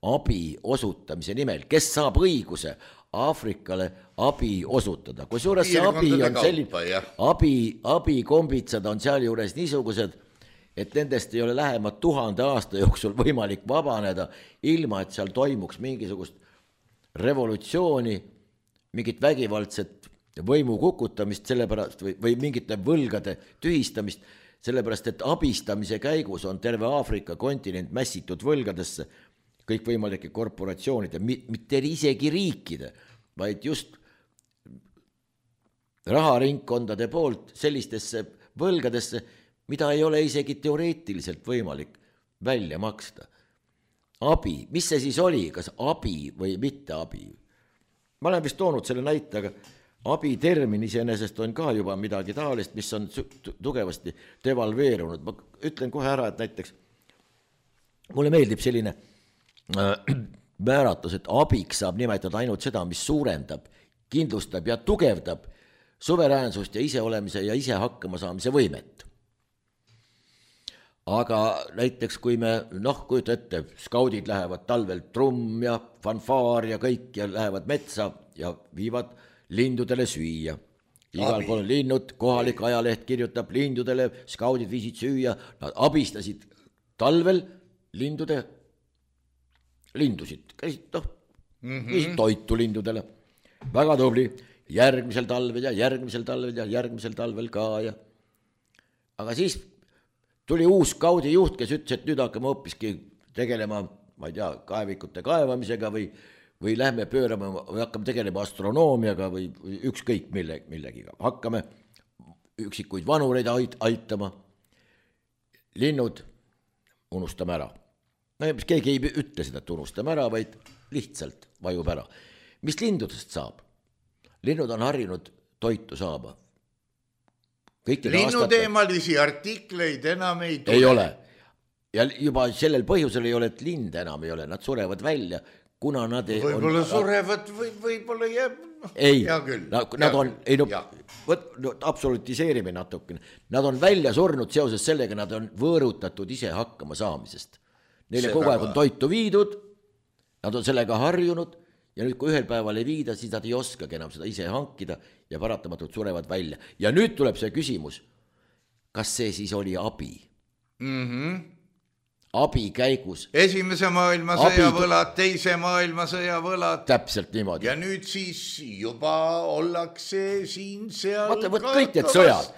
abi osutamise nimel, kes saab õiguse Aafrikale abi osutada. Kui suures see abi on selline, abikombitsad on seal juures niisugused, et nendest ei ole lähema 1000 aasta jooksul võimalik vabaneda, ilma et seal toimuks mingisugust revolutsiooni, mingit vägivaldset võimu kukutamist sellepärast või mingite võlgade tühistamist, sellepärast et abistamise käigus on terve Aafrika kontinent mässitud võlgadesse, kõikvõimalike korporatsioonide, mitte isegi riikide, vaid just raharingkondade poolt sellistesse võlgadesse, mida ei ole isegi teoreetiliselt võimalik välja maksta. Abi, mis see siis oli, kas abi või mitte abi? Ma olen vist toonud selle näite, aga abi termin iseenesest on ka juba midagi taolist, mis on tugevasti devalveerunud. Ma ütlen kohe ära, et näiteks mulle meeldib selline määratus, et abiks saab nimetada ainult seda, mis suurendab, kindlustab ja tugevdab suveräänsust ja iseolemise ja ise hakkama saamise võimet. Aga näiteks kui me, kujuta ette, skaudid lähevad talvel trumm ja fanfaar ja kõik ja lähevad metsa ja viivad lindudele süüa. Igal pool linnud, kohalik ajaleht kirjutab lindudele, skaudid viisid süüa, nad abistasid talvel lindusid, käisid toitu lindudele. Väga tubli, järgmisel talvel ja järgmisel talvel ja järgmisel talvel ka. Aga siis tuli uus skaudi juht, kes ütles, et nüüd hakkame hoopiski tegelema, ma ei tea, kaevikute kaevamisega või lähme pöörama või hakkame tegelema astronoomiaga või ükskõik millegiga. Hakkame üksikuid vanureid aitama. Linnud unustame ära. Keegi ei ütle seda, et unustame ära, vaid lihtsalt vajub ära. Mis lindudest saab? Linnud on harjunud toitu saama. Linnuteemalisi artikleid enam ei tule. Ei ole. Ja juba sellel põhjusel ei ole, et lind enam ei ole. Nad surevad välja, kuna nad ei... Võib-olla surevad, võib-olla jääb... Ei, nad on... absolutiseerime natukene. Nad on välja surnud seoses sellega, nad on võõrutatud ise hakkama saamisest. Neile kogu aeg on toitu viidud, nad on sellega harjunud ja nüüd, kui ühel päeval ei viida, siis nad ei oskagi enam seda ise hankida ja paratamatult surevad välja. Ja nüüd tuleb see küsimus, kas see siis oli abi? Abi käigus. Esimese maailmasõja võlad, teise maailmasõja võlad. Täpselt niimoodi. Ja nüüd siis juba ollakse siin seal võta kõik need sõjad.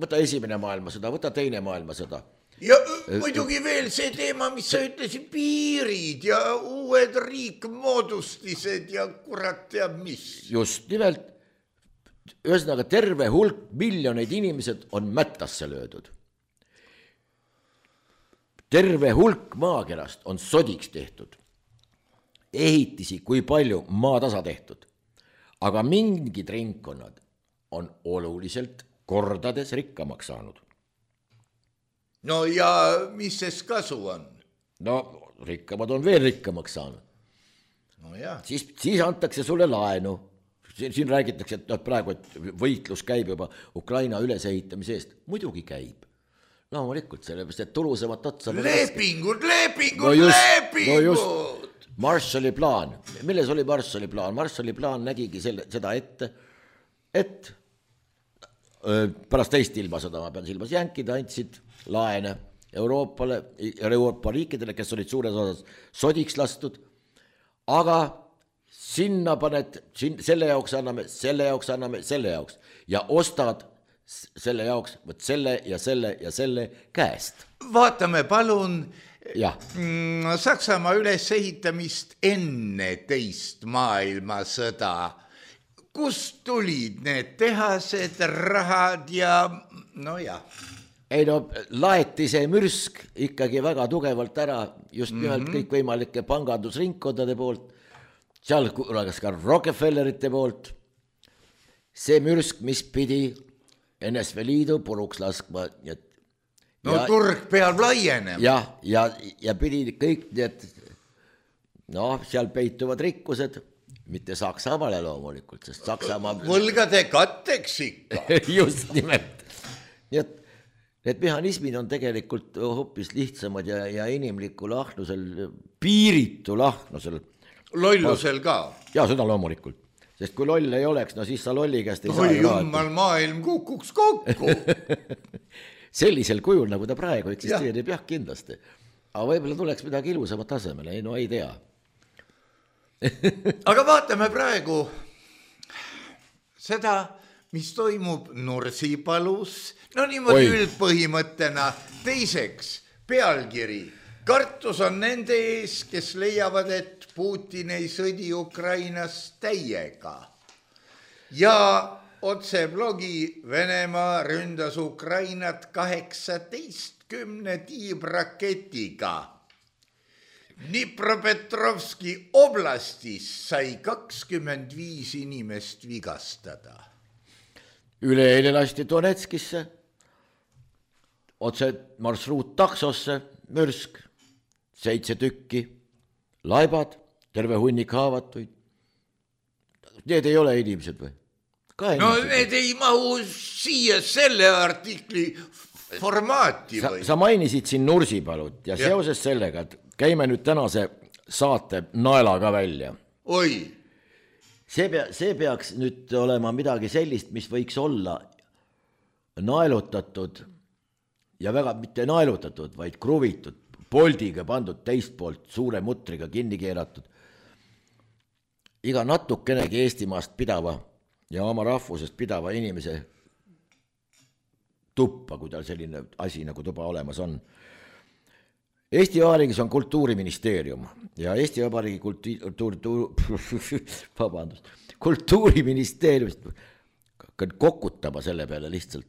Võta esimene maailmasõda, võta teine maailmasõda. Ja muidugi veel see teema, mis sa ütlesid, piirid ja uued riikmoodustised ja kurat teab mis. Just nimelt, ühesõnaga terve hulk miljoneid inimesed on mättasse löödud. Terve hulk maakerast on sodiks tehtud. Ehitisi, kui palju maatasa tehtud. Aga mingid ringkonnad on oluliselt kordades rikkamaks saanud. No ja mis ses kasu on? No rikkamad on veel rikkamaks saanud. No jah. Siis antakse sulle laenu. Siin räägitakse, et praegu et võitlus käib juba Ukraina ülesehitamise eest. Muidugi käib. Loomulikult, sellepärast, et tulusamat otsa... Lepingud! No just, Marshalli plaan. Milles oli Marshalli plaan? Marshalli plaan nägigi seda ette, et pärast teist ilmasõda, ma pean silmas, jänkid andsid laene Euroopa riikidele, kes olid suures osas sodiks lastud, aga sinna paned, selle jaoks anname, selle jaoks ja ostad selle jaoks võt selle ja selle käest. Vaatame palun jah. Saksamaa ülesehitamist enne teist maailmasõda. Kust tulid need tehased, rahad ja no jah. Ei no, laeti see mürsk ikkagi väga tugevalt ära just nimelt kõikvõimalike pangandusringkondade poolt, seal kuulagas ka Rockefellerite poolt. See mürsk, mis pidi NSV Liidu puruks laskma. No turg peab laienema. Ja pidi kõik need, seal peituvad rikkused, mitte Saksamaale loomulikult, sest Saksamaa... Võlgade katteks ikka. Just nimelt. Nii et need mehhanismid on tegelikult hoopis lihtsamad ja inimlikul ahnusel, piiritu ahnusel. Lollusel ka. Ja seda loomulikult. Sest kui loll ei oleks, no siis sa lolli käest ei saa. Jummal, maailm kukuks kokku. Sellisel kujul, nagu ta praegu eksisteerib, jah, kindlasti. Aga võib-olla tuleks midagi ilusamat tasemele, no ei tea. Aga vaatame praegu seda, mis toimub Nursipalus. No niimoodi üldpõhimõttena. Teiseks, pealkiri. Kartus on nende ees, kes leiavad, et Putin ei sõdi Ukrainas täiega. Ja otse blogi Venemaa ründas Ukrainat 18 tiibraketiga. Dnipropetrovski oblastis sai 25 inimest vigastada. Üleeile lasti Donetskisse, otse marsruut taksosse, mürsk, 7 tükki, laibad, terve hunnik haavatuid. Need ei ole inimesed või? No need ei mahu siia selle artikli formaati või? Sa mainisid siin Nursipalut ja seoses sellega, et käime nüüd tänase saate naelaga välja. Oi! See peaks nüüd olema midagi sellist, mis võiks olla naelutatud ja väga mitte naelutatud, vaid kruvitud, poldiga pandud teist poolt, suure mutriga kinni keeratud. Iga natukenegi Eestimaast pidava ja oma rahvusest pidava inimese tuppa, kui tal selline asi nagu tuba olemas on. Eesti Vabariigis on Kultuuriministeerium ja Eesti Vabariigi Kultuuriministeeriumist kokutama selle peale lihtsalt.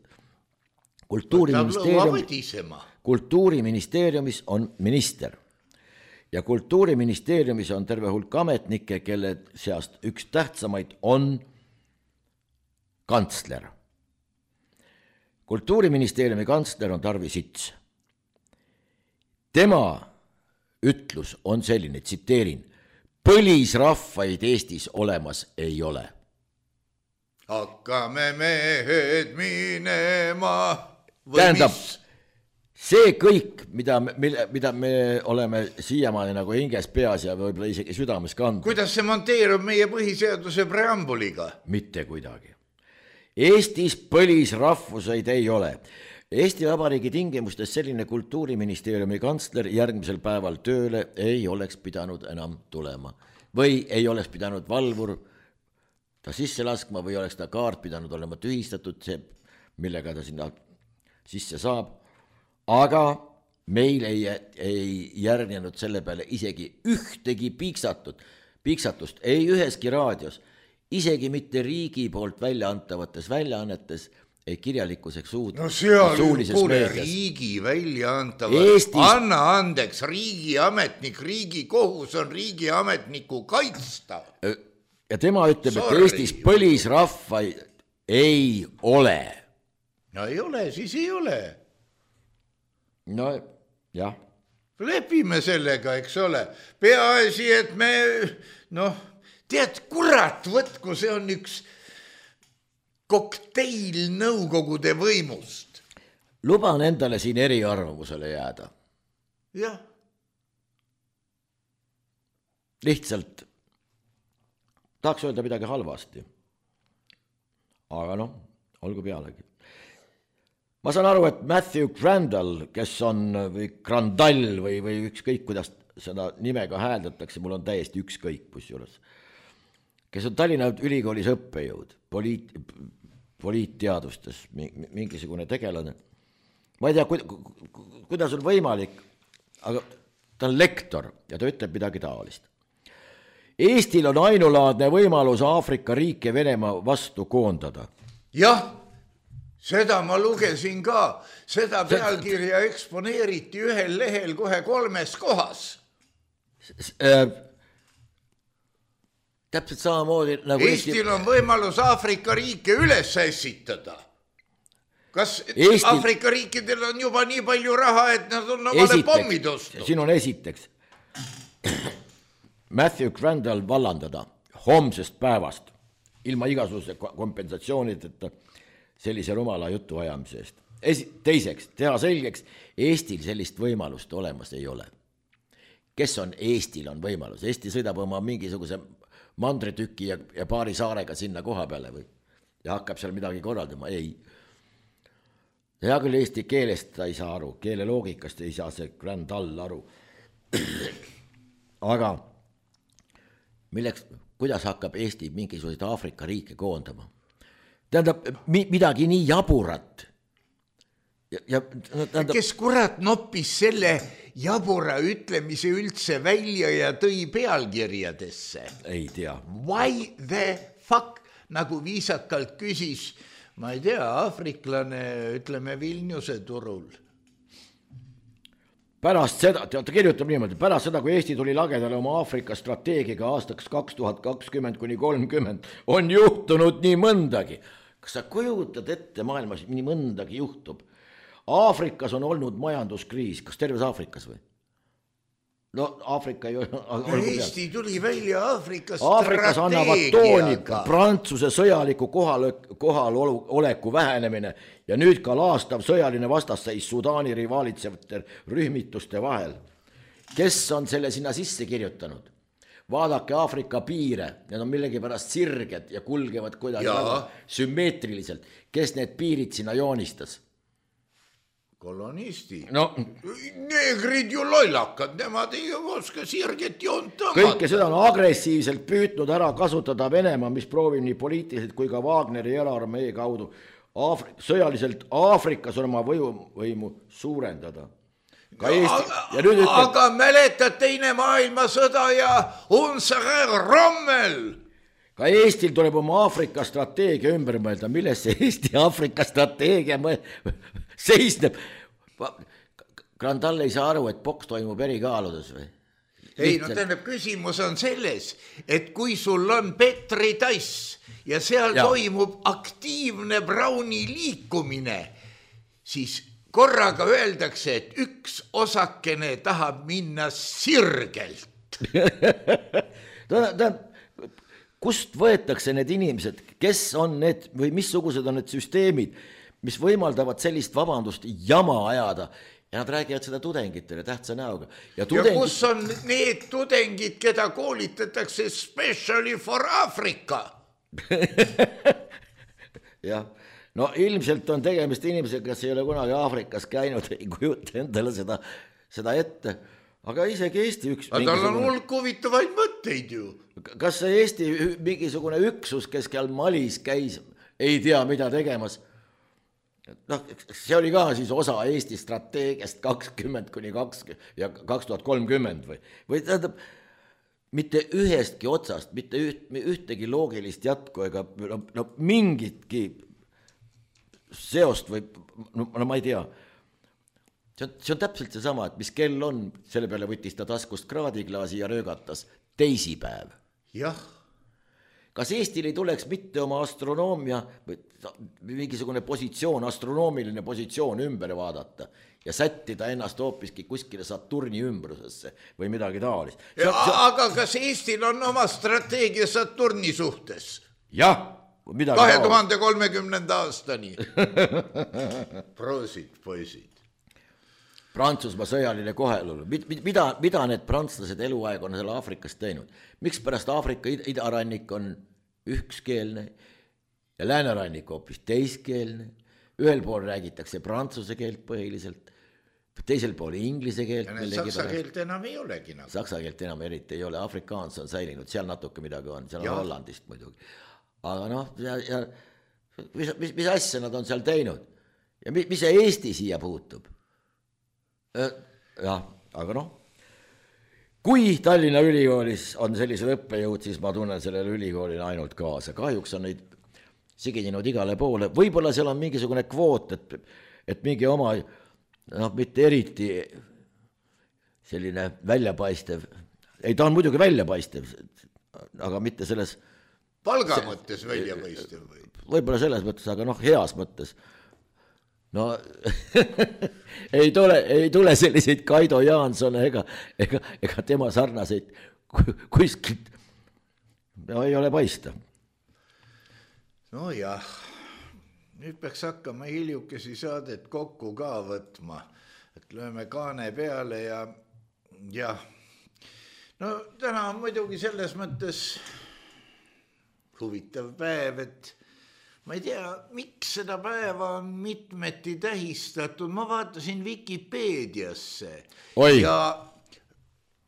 Kultuuriministeeriumis on minister ja Kultuuriministeeriumis on terve hulk ametnikke, kelle seast üks tähtsamaid on kantsler. Kultuuriministeeriumi kantsler on Tarvi Sits. Tema ütlus on selline, tsiteerin, põlisrahvaid Eestis olemas ei ole. Hakkame mehed minema. Tähendab, see kõik, mida me oleme siiamaani nagu hinges peas ja võib-olla isegi südames kandnud. Kuidas see monteerub meie põhiseaduse preambuliga? Mitte kuidagi. Eestis põlisrahvuseid ei ole. Eesti Vabariigi tingimustes selline Kultuuriministeeriumi kantsler järgmisel päeval tööle ei oleks pidanud enam tulema. Või ei oleks pidanud valvur ta sisse laskma või oleks ta kaart pidanud olema tühistatud, see, millega ta sinna sisse saab. Aga meil ei järgnenud selle peale isegi ühtegi piiksatust, ei üheski raadios, isegi mitte riigi poolt väljaantavates väljaannetes, ei kirjalikkuseks suulises meedias. Riigi väljaantavad, Eestis... anna andeks, riigiametnik, riigi kohus on riigiametniku kaitsta. Ja tema ütleb, et Eestis põlisrahvaid ei ole. No ei ole, siis ei ole. No jah. Lepime sellega, eks ole. Peaasi, et me, tead, kurat võtku, see on üks kokteil nõukogude võimust. Luban endale siin eriarvamusele jääda. Jah. Lihtsalt tahaks öelda midagi halvasti. Aga olgu pealegi. Ma saan aru, et Matthew Crandall, kes on või Crandall või ükskõik, kuidas seda nimega hääldatakse, mul on täiesti ükskõik pusjuures. kes on Tallinna Ülikoolis õppejõud, poliitteadustes, mingisugune tegelane. Ma ei tea, kuidas on võimalik, aga ta on lektor ja ta ütleb midagi taolist. Eestil on ainulaadne võimalus Aafrika riike Venemaa vastu koondada. Jah, seda ma lugesin ka. Seda pealkirja eksponeeriti ühel lehel kohe 3 kohas. Täpselt samamoodi nagu Eestil on võimalus Aafrika riike üles ässitada. Kas Aafrika riikidel on juba nii palju raha, et nad on omale pommid ostnud? Siin on esiteks Matthew Crandall vallandada homsest päevast ilma igasuguse kompensatsioonideta sellise rumala jutu ajamise eest. Teiseks, teha selgeks, Eestil sellist võimalust olemas ei ole. Kes on Eestil on võimalus? Eesti sõidab oma mingisuguse mandritüki ja paari saarega sinna koha peale või ja hakkab seal midagi korraldama. Ei. Hea küll eesti keelest ta ei saa aru, keele loogikast ei saa see Crandall aru. Aga kuidas hakkab Eesti mingisuguseid Aafrika riike koondama? Tähendab, midagi nii jaburat. Kes kurat noppis selle jabura ütlemise üldse välja ja tõi pealkirjadesse? Ei tea. Why the fuck? Nagu viisakalt küsis, ma ei tea, aafriklane, ütleme Vilniuse turul. Pärast seda, ta kirjutab niimoodi, pärast seda, kui Eesti tuli lagedale oma Aafrika strateegiga aastaks 2020–30, on juhtunud nii mõndagi. Kas sa kujutad ette maailmas nii mõndagi juhtub? Aafrikas on olnud majanduskriis, kas terves Aafrikas või? No Aafrika ei ole... Eesti tuli välja Aafrika Aafrikas annavad tooni Prantsuse sõjaliku kohaloleku vähenemine ja nüüd ka laastav sõjaline vastasseis Sudaani rivaalitsevate rühmituste vahel. Kes on selle sinna sisse kirjutanud? Vaadake Aafrika piire, need on millegi pärast sirged ja kulgevad kuidagi sümmeetriliselt. Kes need piirid sinna joonistas? Kolonisti. No, neegrid ju lollakad, nemad ei oska sirget joont tõmmata. Kõike seda on agressiivselt püütnud ära kasutada Venemaa, mis proovib nii poliitiliselt kui ka Wagneri eraarmee kaudu sõjaliselt Aafrikas oma võimu suurendada. Aga mäletad teine maailmasõda ja Unsager Rommel? Ka Eestil tuleb oma Aafrika strateegia ümber mõelda, milles see Eesti Aafrika strateegia seisneb. Grandal ei saa aru, et boks toimub eri kaaludes või? Ei, no tähendab, küsimus on selles, et kui sul on Petri tass ja seal toimub aktiivne Browni liikumine, siis korraga öeldakse, et üks osakene tahab minna sirgelt. Kust võetakse need inimesed, kes on need või missugused on need süsteemid, mis võimaldavad sellist vabandust jama ajada ja nad räägivad seda tudengitele tähtsa näoga. Ja kus on need tudengid, keda koolitatakse specially for Africa? Jah, no ilmselt on tegemist inimesega, kes ei ole kunagi Aafrikas käinud, ei kujuta endale seda ette. Aga isegi Eesti üks... Aga tal on hulk huvitavaid mõtteid ju. Kas see Eesti mingisugune üksus, kes seal Malis käis, ei tea, mida tegemas? No, see oli ka siis osa Eesti strateegiast 20–20 ja 2030 või tähendab, mitte ühestki otsast, mitte ühtegi loogilist jätku ega mingitki seost või, no ma ei tea. See on täpselt seesama, et mis kell on, selle peale võttis ta taskust kraadiklaasi ja röögatas teisipäev. Jah. Kas Eestil ei tuleks mitte oma astronoomia või mingisugune positsioon, astronoomiline positsioon ümber vaadata ja sättida ennast hoopiski kuskile Saturni ümbrusesse või midagi taolist? Aga kas Eestil on oma strateegia Saturni suhtes? Jah, midagi 2030. aastani. Proosid, poisid. Prantsusmaa sõjaline kohelolu. Mida need prantslased eluaeg on seal Aafrikas teinud? Miks pärast Aafrika idarannik on ükskeelne ja läänerannik hoopis teiskeelne? Ühel pool räägitakse prantsuse keelt põhiliselt, teisel pool inglise keelt. Ja saksa keelt enam ei olegi nagu. Saksa keelt enam eriti ei ole, afrikaans on säilinud, seal natuke midagi on, seal on Hollandist muidugi. Aga noh, ja mis asja nad on seal teinud ja mis see Eesti siia puutub? Jah, aga noh, kui Tallinna ülikoolis on sellised õppejõud, siis ma tunnen sellele ülikoolile ainult kaasa. Kahjuks on neid siginenud igale poole. Võib-olla seal on mingisugune kvoot, et mingi oma, mitte eriti selline väljapaistev, ei ta on muidugi väljapaistev, aga mitte selles palga mõttes väljapaistev või? Võib-olla selles mõttes, aga heas mõttes. No ei tule selliseid Kaido Jaanson ega tema sarnaseid kuskilt ei ole paista. No jah, nüüd peaks hakkama hiljukesi saadet kokku ka võtma, et lööme kaane peale ja no täna on muidugi selles mõttes huvitav päev, et ma ei tea, miks seda päeva on mitmeti tähistatud. Ma vaatasin Wikipeediasse. Ja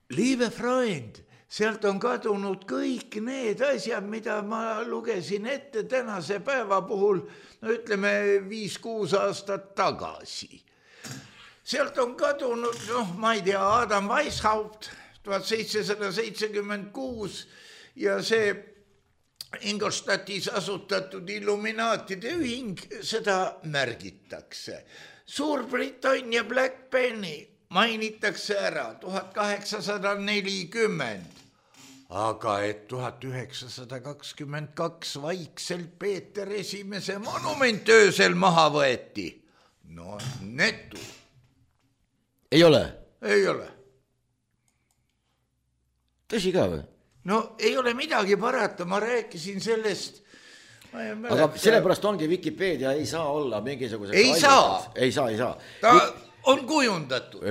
liebe Freund, sealt on kadunud kõik need asjad, mida ma lugesin ette tänase päeva puhul, no ütleme 5-6 aastat tagasi. Sealt on kadunud, ma ei tea, Adam Weishaupt 1776 ja see Ingolstadtis asutatud Illuminaatide ühing, seda märgitakse. Suurbritannia Black Penny mainitakse ära 1840, aga et 1922 vaikselt Peeter Esimese monument öösel maha võeti. No netu. Ei ole? Ei ole. Tõsi ka või? No ei ole midagi parata, ma rääkisin sellest. Aga sellepärast ongi Wikipedia ei saa olla mingisuguse... Ei saa. Ta on kujundatud.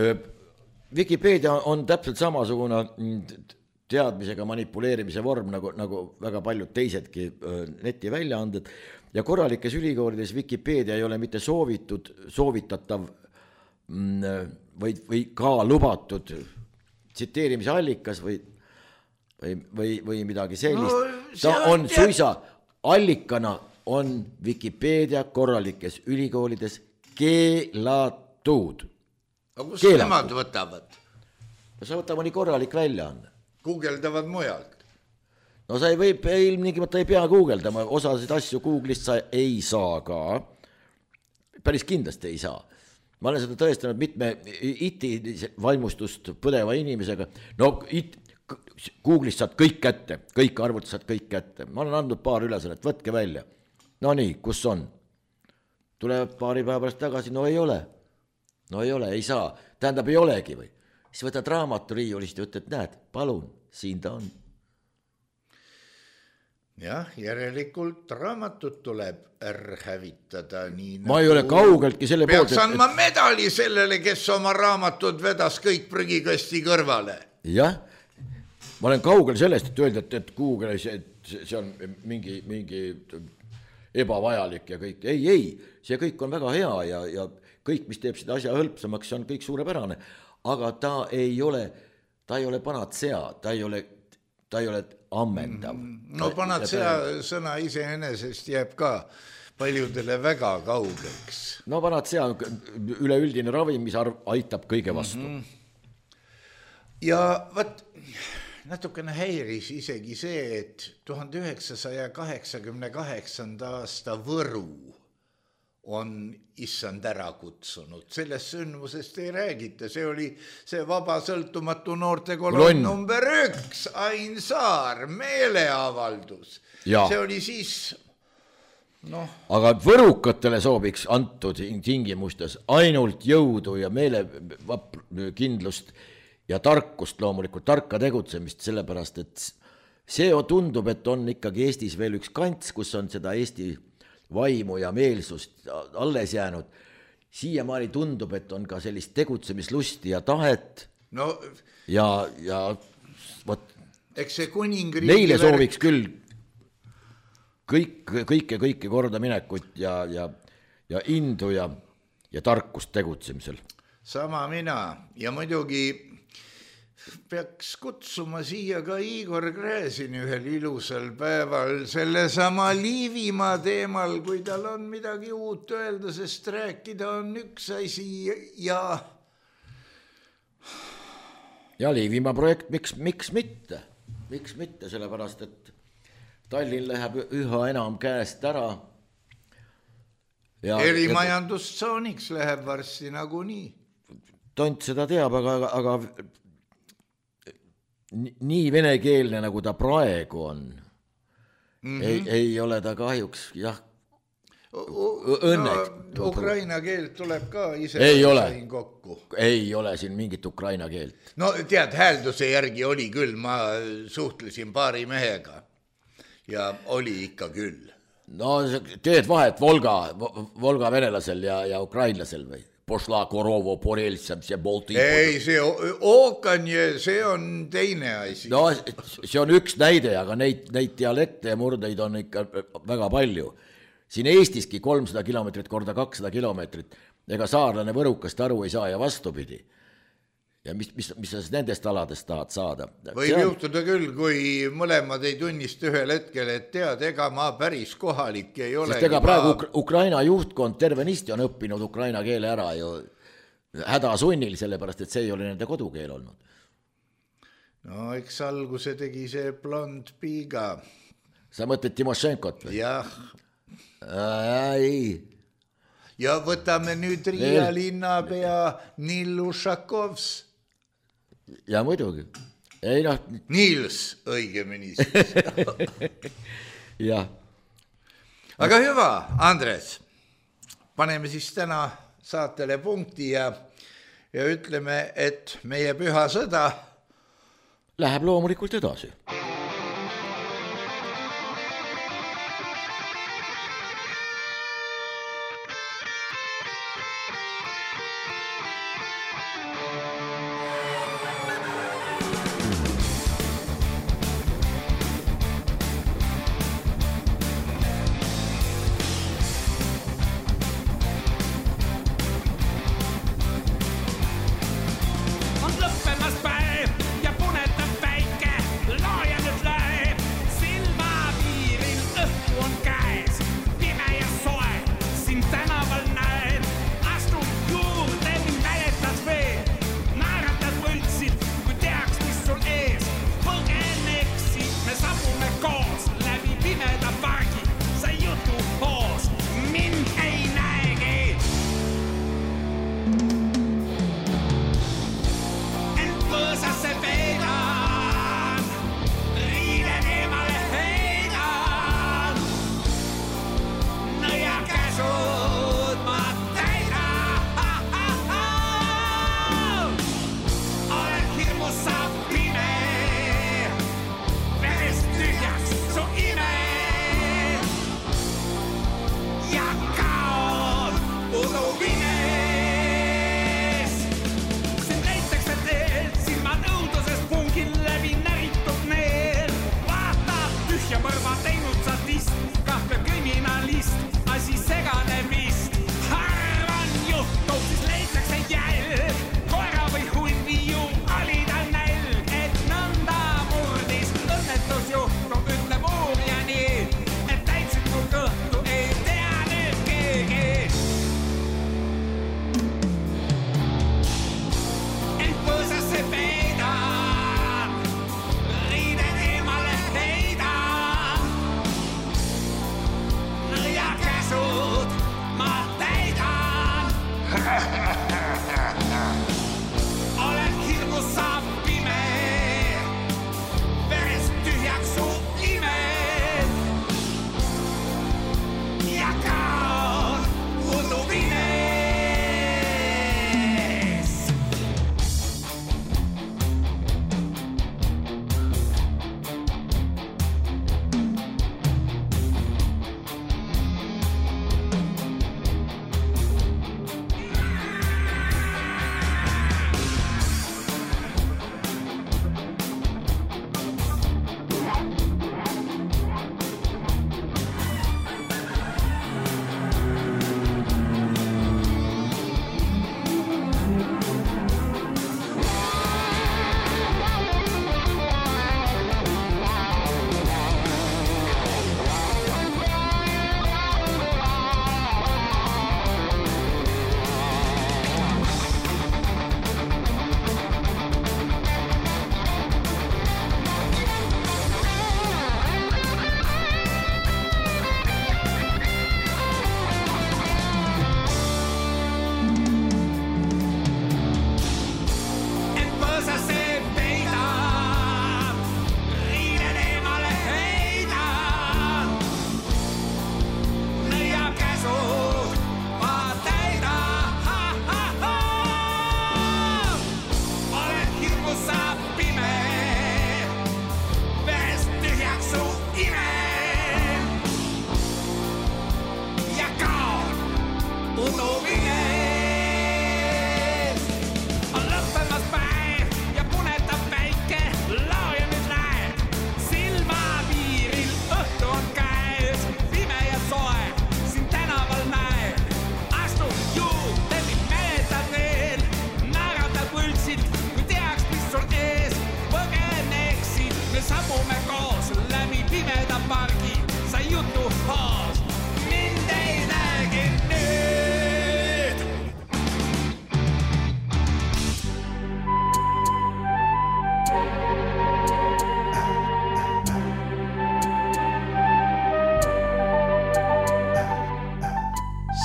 Wikipedia on täpselt samasugune teadmisega manipuleerimise vorm nagu väga paljud teisedki netiväljaanded ja korralikes ülikoolides Wikipedia ei ole mitte soovitatav või ka lubatud tsiteerimise allikas või midagi sellist. Ta on suisa allikana on Wikipedia korralikes ülikoolides keelatud. Aga kus nemad võtavad? Sa võtavad nii korralik väljaanne. Guugeldavad mujalt. No sa ilmtingimata ei pea guugeldama, osasid asju Google'ist sa ei saa ka. Päris kindlasti ei saa. Ma olen seda tõestanud mitme IT vaimustust põdeva inimesega. No Google'ist saad kõik kätte, kõik arvutid saad kõik kätte. Ma olen andnud paar ülesannet, võtke välja. No nii, kus on? Tuleb paari päeva pärast tagasi, no ei ole, ei saa. Tähendab, ei olegi või? Siis võtad raamatu riiulist ja ütled, näed, palun, siin ta on. Jah, järelikult raamatut tuleb hävitada nii ma ei ole kaugeltki selle poolt. Peaks andma medali sellele, kes oma raamatud vedas kõik prügikasti kõrvale. Jah. Ma olen kaugel sellest, et öelda, et Google, see on mingi ebavajalik ja kõik. Ei, see kõik on väga hea ja kõik, mis teeb seda asja hõlpsamaks, see on kõik suurepärane. Aga ta ei ole panatsea, ta ei ole ammendav. No panatsea sõna iseenesest jääb ka paljudele väga kaugeks. No panatsea on üleüldine ravim, mis aitab kõige vastu. Ja võt... Natukene häiris isegi see, et 1988. aasta Võru on issand ära kutsunud. Sellest sündmusest ei räägita. See oli see vaba sõltumatu noortekolonn number 1, Ain Saar, meeleavaldus. Ja. See oli siis... Aga võrukatele sooviks antud tingimustes ainult jõudu ja meelekindlust ja tarkust loomulikult, tarka tegutsemist, sellepärast, et see tundub, et on ikkagi Eestis veel üks kants, kus on seda Eesti vaimu ja meelsust alles jäänud. Siiamaani tundub, et on ka sellist tegutsemislusti ja tahet. No, ja võt, eks see kuningriigi neile sooviks küll kõike korda minekut ja indu ja tarkust tegutsemisel. sama mina ja muidugi peaks kutsuma siia ka Igor Gräzini ühel ilusal päeval sellesama Liivimaa teemal, kui tal on midagi uut öelda, sest rääkida on üks asi ja Liivimaa projekt, miks mitte, sellepärast, et Tallinn läheb üha enam käest ära. Erimajandustsooniks läheb varsti nagunii. Tont seda teab, aga nii venekeelne, nagu ta praegu on, ei ole ta kahjuks, jah, õnneks. No, Ukraina keelt tuleb ka ise kokku. Ei ole siin mingit Ukraina keelt. No tead, häälduse järgi oli küll, ma suhtlesin paari mehega ja oli ikka küll. No teed vahet Volga venelasel ja ukrainlasel või? Pošla Korovo, Porelsam, see Bolti. Ei, see Ookanje, see on teine asi. No see on üks näide, aga neid dialekte ja murdeid on ikka väga palju. Siin Eestiski 300 kilomeetrit korda 200 kilomeetrit, ega saarlane võrukast aru ei saa ja vastupidi. Ja mis sa nendest aladest tahad saada? Võib juhtuda küll, kui mõlemad ei tunnista ühel hetkel, et tead, ega ma päris kohalik ei ole. Sest ega praegu Ukraina juhtkond tervenisti on õppinud ukraina keele ära ju hädasunnil, sellepärast, et see ei ole nende kodukeel olnud. No eks alguse tegi see blond piiga. Sa mõtled Timošenkot või? Jah. Ei. Ja võtame nüüd Riia linnapea Nill Ušakovs. Ja muidugi. Ei, no. Nils õigemini siis. Ja. Aga hüva, Andres, paneme siis täna saatele punkti ja ütleme, et meie püha sõda läheb loomulikult edasi. On lõppemas päev ja punetab päike, looja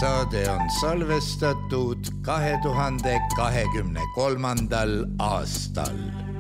saade on salvestatud 2023. aastal.